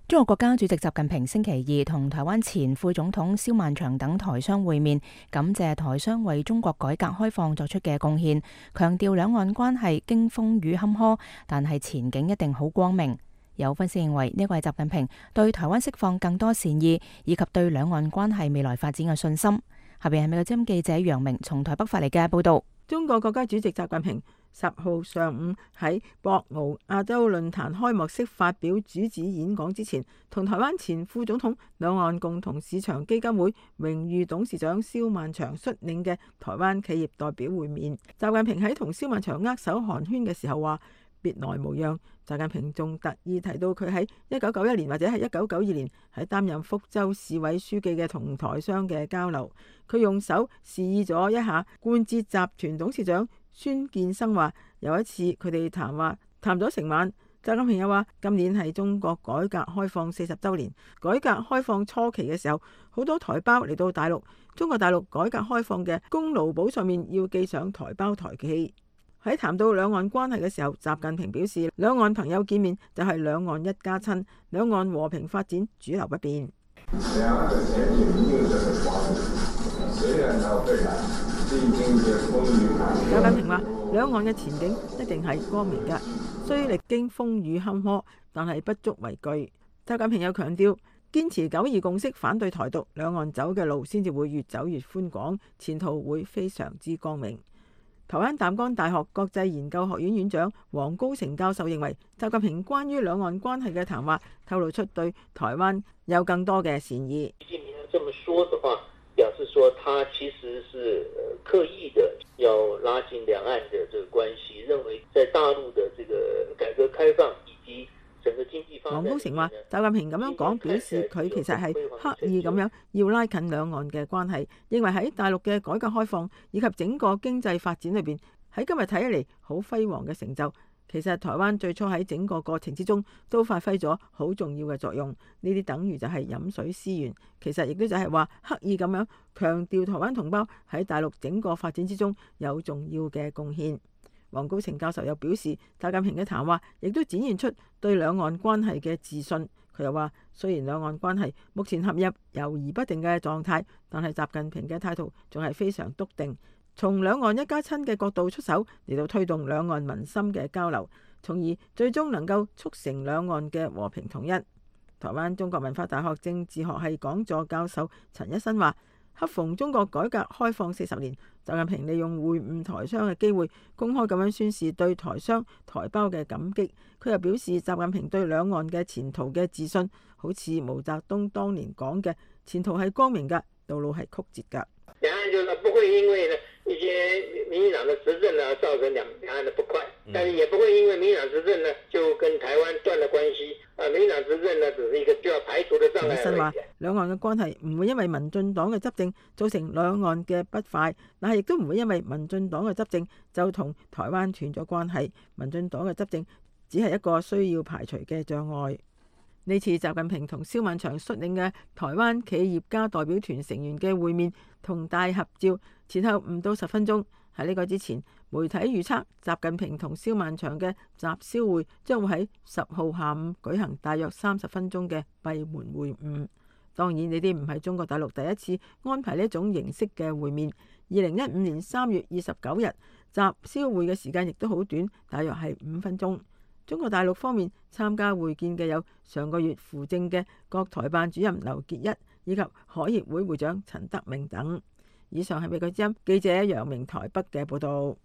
中國國家主席習近平星期二同台灣前副總統蕭萬長等台商會面，感謝台商為中國改革開放作出嘅貢獻，強調兩岸關係經風雨坎坷，但係前景一定好光明。有分析認為，呢個係習近平對台灣釋放更多善意，以及對兩岸關係未來發展嘅信心。下邊係美國之音記者楊明從台北發嚟嘅報道。中國國家主席習近平10號上午喺博鰲亞洲論壇開幕式發表主旨演講之前，同台灣前副總統、兩岸共同市場基金會榮譽董事長蕭萬長率領嘅台灣企業代表會面。習近平喺同蕭萬長握手寒暄嘅時候話：別來無恙。習近平仲特意提到佢喺1991年或者係1992年喺擔任福州市委書記嘅同台商嘅交流。佢用手示意咗一下冠捷集團董事長孫建生話，有一次佢哋談咗成晚。習近平又話，今年係中國改革開放40週年。改革開放初期嘅時候，好多台胞嚟到大陸，中國大陸改革開放嘅功勞簿上面要記上台胞台記。喺談到兩岸關係嘅時候，習近平表示，兩岸朋友見面就係兩岸一家親，兩岸和平發展主流不變。習近平話，兩岸嘅前景一定係光明嘅，雖歷經風雨坎坷，但係不足為懼。習近平又強調，堅持九二共識，反對台獨，兩岸走嘅路先至會越走越寬廣，前途會非常之光明。台灣淡江大學國際研究學院院長黃高成教授認為，習近平關於兩岸關係嘅談話透露出對台灣有更多嘅善意。習近平這麼說的話，表示說他其實是刻意的要拉近兩岸的這個關係，認為在大陸的這個改革開放以及整個經濟發展。黃高成話，習近平咁樣講，表示佢其實係刻意咁樣要拉近兩岸嘅關係，認為喺大陸嘅改革開放以及整個經濟發展裏邊，喺今日睇起嚟好輝煌嘅成就，其實台灣最初喺整個過程之中都發揮咗好重要嘅作用。呢啲等於就係飲水思源，其實亦都就係話刻意咁樣強調台灣同胞喺大陸整個發展之中有重要嘅貢獻。黃高成教授又表示，習近平嘅談話亦都展現出對兩岸關係嘅自信。佢又話，雖然兩岸關係目前陷入猶豫不定嘅狀態，但係習近平嘅態度仲係非常篤定，從兩岸一家親嘅角度出手嚟到推動兩岸民心嘅交流，從而最終能夠促成兩岸嘅和平統一。台灣中國文化大學政治學系講座教授陳一新話，恰逢中國改革開放40年，習近平利用會晤台商嘅機會，公開咁樣宣示對台商台胞嘅感激。佢又表示，習近平對兩岸嘅前途嘅自信，好似毛澤東當年講嘅，前途係光明嘅，道路係曲折嘅。兩岸就是不會因為呢一些民進黨的執政呢，造成兩岸的不快，但是也不會因為民進黨執政呢，就跟台灣斷了關係。民進黨執政呢，只是一個需要排除的障礙。本身話兩岸嘅關係唔會因為民進黨嘅執政造成兩岸嘅不快，但係亦都唔會因為民進黨嘅執政就同台灣斷咗關係。民進黨嘅執政只係一個需要排除嘅障礙。呢次習近平同蕭萬長率領嘅台灣企業家代表團成員嘅會面同大合照，前後唔到10分鐘。喺呢個之前，媒體預測習近平同蕭萬長嘅習蕭會將會喺10號下午舉行大約30分鐘嘅閉門會晤。當然呢啲唔係中國大陸第一次安排呢種形式嘅會面。2015年3月29日習蕭會嘅時間亦都好短，大約係5分鐘。中國大陸方面參加會見嘅有上個月扶正嘅國台辦主任劉結一以及海協會會長陳德明等。以上係美國之音記者楊明台北嘅報道。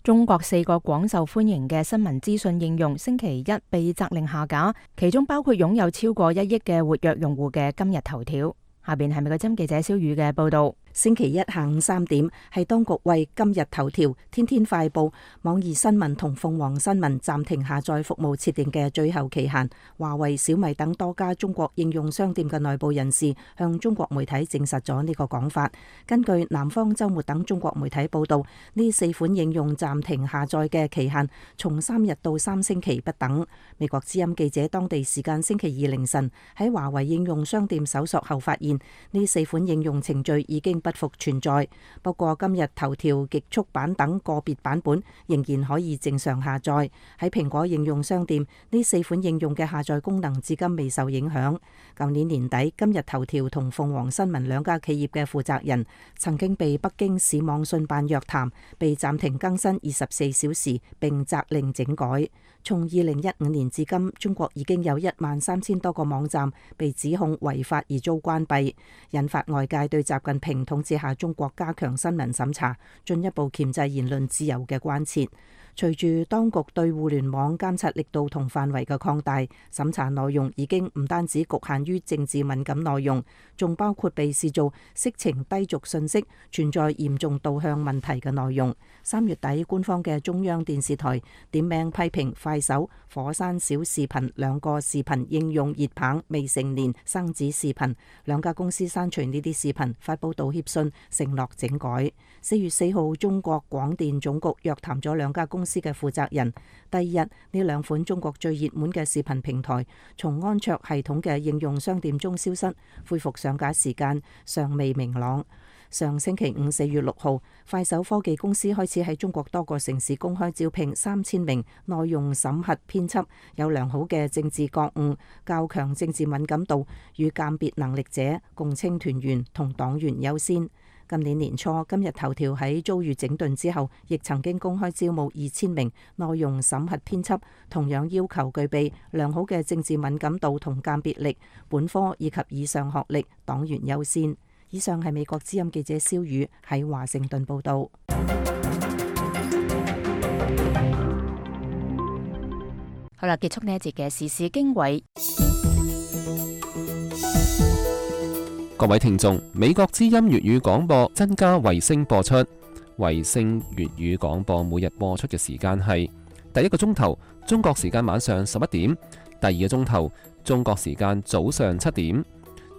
中國4個廣受歡迎嘅新聞資訊應用星期一被責令下架，其中包括擁有超過1億嘅活躍用戶嘅今日頭條。下邊係美國之音記者蕭宇嘅報道。星期一下午3點，係當局為今日頭條、天天快報、網易新聞同鳳凰新聞暫停下載服務設定嘅最後期限。華為、小米等多家中國應用商店嘅內部人士向中國媒體證實咗呢個講法。根據南方週末等中國媒體報道，呢4款應用暫停下載嘅期限從3日到3星期不等。美國之音記者當地時間星期二凌晨喺華為應用商店搜索後發現，呢4款應用程序已經不復存在。不過今日頭條極速版等個別版本仍然可以正常下載。喺蘋果應用商店，呢4款應用嘅下載功能至今未受影響。舊年年底，今日頭條同鳳凰新聞兩家企業嘅負責人曾經被北京市網信辦約談，被暫停更新24小時並責令整改。從2015年至今，中國已經有13000多個網站被指控違法而遭關閉，引發外界對習近平統治下中國加強新聞審查、進一步鉗制言論自由嘅關切。隨住當局對互聯網監察力度同範圍嘅擴大，審查內容已經唔單止局限於政治敏感內容，仲包括被視做色情低俗信息、存在嚴重導向問題嘅內容。3月底，官方嘅中央電視台點名批評快手、火山小視頻兩個視頻應用熱棒未成年生子視頻，兩家公司刪除呢啲視頻，發佈道歉信，承諾整改。4月4號，中國廣電總局約談咗兩家公司嘅負責人。第二日，呢兩款中國最熱門嘅視頻平台從安卓系統嘅應用商店中消失，恢復上架時間尚未明朗。上星期五4月6號，快手科技公司開始喺中國多個城市公開招聘3000名內容審核編輯，有良好嘅政治覺悟、較強政治敏感度與鑑別能力者，共青團員同黨員優先。今年年初，今日頭條喺遭遇整頓之後，亦曾經公開招募2000名內容審核編輯，同樣要求具備良好嘅政治敏感度同鑑別力，本科以及以上學歷，黨員優先。以上係美國之音記者蕭宇喺華盛頓報道。好啦，結束呢一節嘅時事經緯。各位聽眾，美國之音粵語廣播增加衛星播出。衛星粵語廣播每日播出嘅時間係第一個鐘頭中國時間晚上11點，第二個鐘頭中國時間早上7點。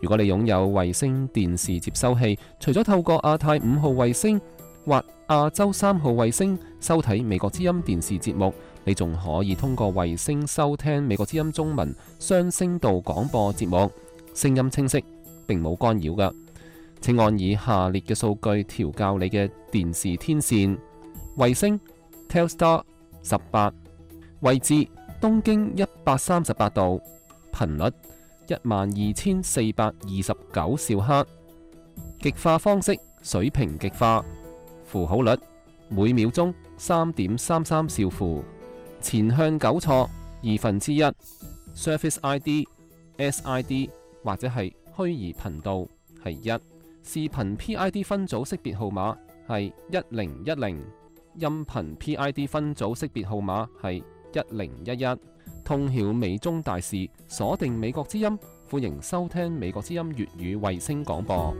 如果你擁有衛星電視接收器，除咗透過亞太5號衛星或亞洲3號衛星收睇美國之音電視節目，你仲可以通過衛星收聽美國之音中文雙聲道廣播節目，聲音清晰，並冇干擾㗎。請按以下列嘅數據調校你嘅電視天線：衛星 Telstar 18，位置東經138度，頻率12429兆赫，極化方式水平極化，符號率每秒鐘3.33兆符，前向糾錯1/2，Surface ID SID 或者係虛擬頻道係1，視頻 PID 分組識別號碼係1010，音頻 PID 分組識別號碼係1011。通曉美中大事，鎖定美國之音，歡迎收聽美國之音粵語衛星廣播。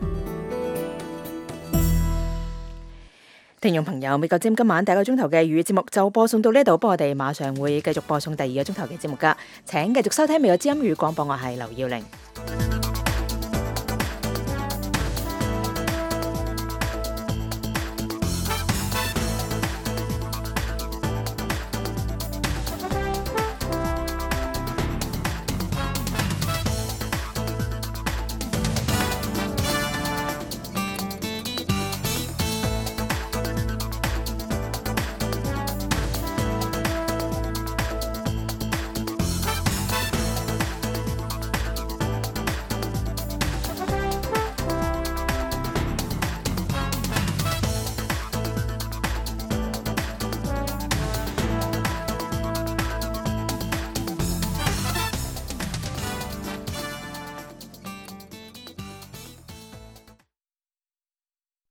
聽眾朋友，美國之音今晚第一個鐘頭嘅粵語節目就播送到呢度，不過我哋馬上會繼續播送第二個鐘頭嘅節目噶，請繼續收聽美國之音粵語廣播，我係劉耀玲。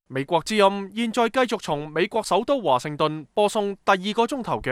美國之音現在繼續從美國首都華盛頓播送第二個鐘頭嘅